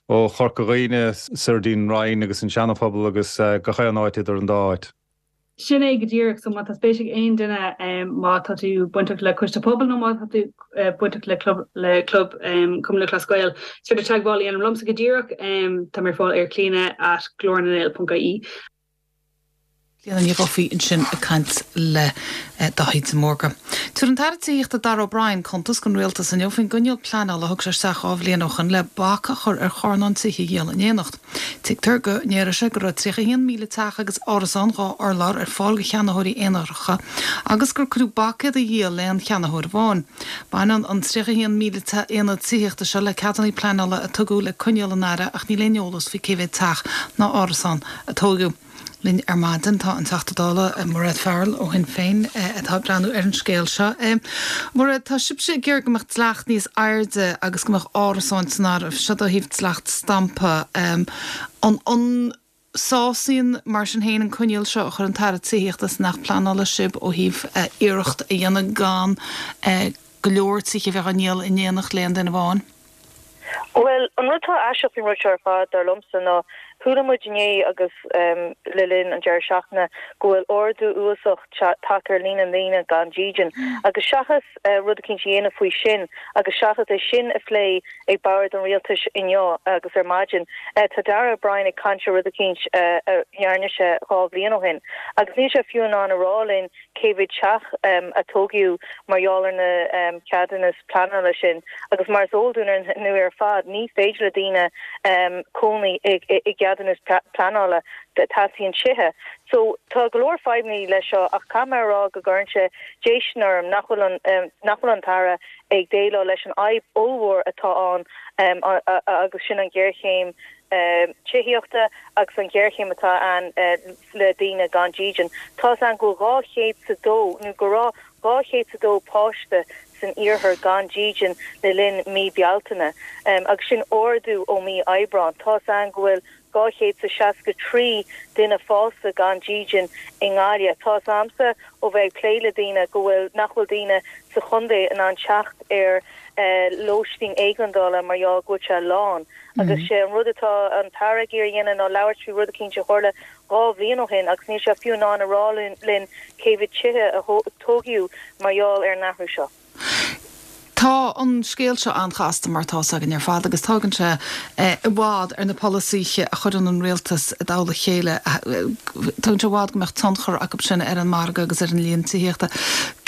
S12: ó Chorca Dhuibhne soir dtí'n Rinn agus an Seanaphobal agus gach aon áit idir an dá áit.
S11: Sin é go díreach. So má tá spéis ag aon duine, má tá tú bainteach le coiste pobail nó má tá tú bainteach le club le club Cumann Lúthchleas Gael, is féidir teagmháil a dhéanamh liomsa go díreach. Tá mé ar fáil ar clíona at glornangael ponc ie.
S1: Clíona Ní Dhufaigh ansin ag caint le Daithí de Mórdha. Tabharfaidh an tAire Tithíochta Darragh O'Brien cuntas don Rialtas inniu faoin gcoinníoll pleanála a thug sé isteach 2 bhliain ó shoin le bac a chur ar charnáin tithe a dhíol in éineacht. Tuigtear go ndéarfaidh sé go raibh 31,000 teach agus árasán 2 urlár ar fáil do cheannaitheoirí aonaracha agus gur cuireadh bac iad a dhíol le haon cheannaitheoir amháin. Baineann an 31,000 aonad tithíochta seo le ceadanna pleanála a tugadh le coinníoll an Aire ach níl aon eolas faoi cé mhéad teach ná árasán a tóigeadh. Linn ar maidin tá an Teachta Dála Mairéad Farrell ó Shinn Féin atá ag breathnú ar an scéal seo. Mairéad, tá sibhse ag iarraidh go mbeadh dleacht níos airde agus go mbeadh árasáin san áireamh, seo ó thaobh dleacht stampa. An an sásaíonn mar sin féin an coinníoll seo a chuir an tAire Tithíochta san Acht Pleanála sibh ó thaobh iarracht a dhéanamh gan go leor tithe a bheith á ndíol in éineacht le haon duine amháin?
S13: Bhuel, an rud atá aisteach faoin rud seo ar fad, dar liomsa, ná chuala muid inné agus le linn an deireadh seachtaine go bhfuil ardú uafásach tagtha ar líon na ndaoine gan dídean. Agus seachas rud eicínt a dhéanamh faoi sin agus seachas é sin a phlé ag bord an rialtais inniu agus ar maidin, tá Darragh O'Brien ag caint ar rud eicínt a ndearna sé 2 bhliain ó shin. Agus níl sé fiú in ann a rá linn cé mhéad teach a tógadh mar gheall ar na ceadúnas pleanála sin agus mar is eol dúinn ar ndóigh ar fad ní féidir le daoine cónaí i gceadúnas pleanála, teastaíonn tithe. So tá go leor fadhbanna leis seo ach caithfidh mé a rá go gcuireann sé déistin orm nach bhfuil an nach bhfuil an tAire ag déileáil leis an fhadhb ollmhór atá ann agus sin an ghéarchéim tithíochta agus an ghéarchéim atá ann le daoine gan dídean. Tá's a'inn go bhfuil 202, nó go raibh 202 páiste san iarthar gan dídean le linn mí Bealtaine, agus sin ardú ó mí Aibreán. Tá's a'inn go bhfuil 263 duine fásta gan dídean i nGaillimh. Tá's a'msa ó bheith ag plé le daoine go bhfuil, nach bhfuil daoine sa chontae in ann teacht ar lóistín éigeandála mar gheall go bhfuil sé lán. Agus sé an rud atá an tAire ag iarraidh a dhéanamh ná labhairt faoi rud eicínt a tharla. 2 bhliain ó shin agus níl sé fiú in ann a rá linn cé mhéad tithe a tógadh mar gheall ar an athrú seo.
S1: Tá an scéal seo an-chasta mar atá 'fhios againn ar fad agus tógann sé i bhfad ar na polasaithe a chuireann an rialtas i dtoll a chéile, tógann sé i bhfad go mbeadh tionchar acu sin ar an margadh agus ar an líon tithíochta.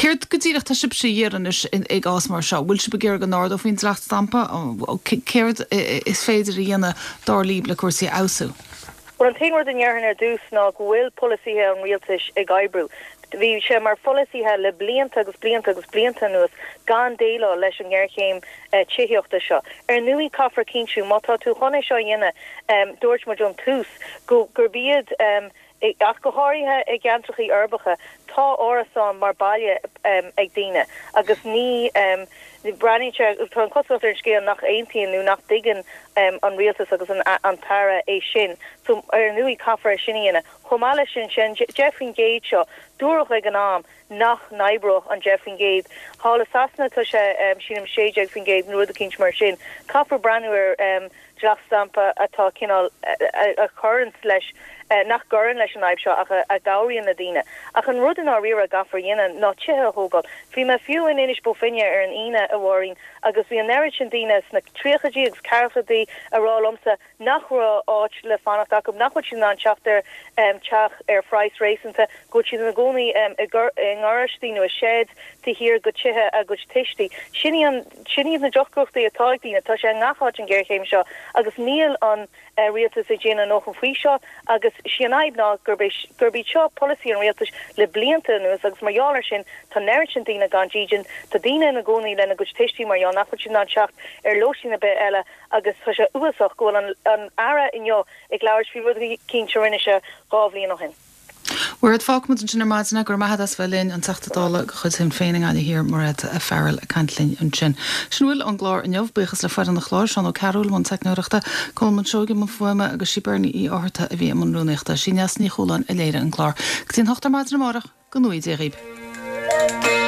S1: Céard go díreach tá sibhse a iarraidh anois i gcás mar seo? Bhfuil sibh ag iarraidh go n-ardófaí an dleacht stampa? Céard is féidir a dhéanamh dar libh le cúrsaí a fheabhsú?
S13: Bhuel, an t-aon rud a ndéarfainn ar dtús ná go bhfuil polasaithe an rialtais ag oibriú. Bhí sé mar pholasaithe le blianta agus blianta agus blianta anuas gan déileáil leis an ngéarchéim tithíochta seo. Ar ndóigh, caithfear cinntiú, má tá tú chun é seo a dhéanamh, dúirt muid ón tús go gurb iad, ach go háirithe i gceantrachaí uirbeacha, tá árasáin mar baile ag daoine agus ní, breathnaíonn sé, tá an chosúlacht ar an scéal nach aontaíonn nó nach dtuigeann an rialtas agus an tAire é sin. So, ar ndóigh, caithfear é sin a dhéanamh. Chomh maith leis sin, sé an 10% seo, dúradh ag an am nach n-oibreodh an 10%. Thall i Sasana tá sé, sílim, 16% nó rud eicínt mar sin. Caithfear breathnú ar dleacht stampa atá cineál, a chuireanns leis, nach gcuireann leis an fhadhb seo ach a chabhraíonn le daoine. Ach an rud i ndáiríre a gcaithfear a dhéanamh ná tithe a thógáil. Bhí mé fiú in Inis Bó Finne ar an Aoine, a Mháirín, agus bhí an oiread sin daoine sna tríochaidí agus ceathrachaidí a rá liomsa nach raibh áit le fanacht acu, nach bhfuil siad in ann teacht ar teach ar phraghas réasúnta, go bhfuil siad ina gcónaí i ngaráistí nó i sheids taobh thiar de tithe a gcuid tuistí. Sin í an. Sin iad na deacrachtaí atá ag daoine. Tá sé i ngach áit an ghéarchéim seo agus níl an rialtas ag déanamh a ndóthain faoi seo agus sí an fhadhb ná gurb é gurb iad seo polasaí an rialtais le blianta anuas agus mar gheall ar sin tá an oiread sin daoine gan dídean, tá daoine ina gcónaí lena gcuid tuistí mar gheall nach bhfuil siad in ann teacht ar lóistín ar bith eile agus tá sé uafásach go bhfuil an an Aire inniu ag labhairt faoi rud eicínt a rinne sé 2 bhliain ó shin.
S1: Mairéad, fágfaimid ansin ar maidin é. Go raibh maith agat as bheith linn, an Teachta Dála de chuid Shinn Féin i nGaillimh Thiar, Mairéad Farrell ag caint linn ansin. Sin a bhfuil ón gclár inniu. Buíochas le foireann an chláir, Seán Ó Cearúil i mbun teicneoireachta, Colmán Seoighe i mbun fuaime agus sí Bernie Uí Fhátharta a bhí i mbun rúnaíochta. Sí Neasa Ní Chualáin a léirigh an clár. Go dtí an hocht ar maidin amárach, go ngnóthaí Dia dhaoib.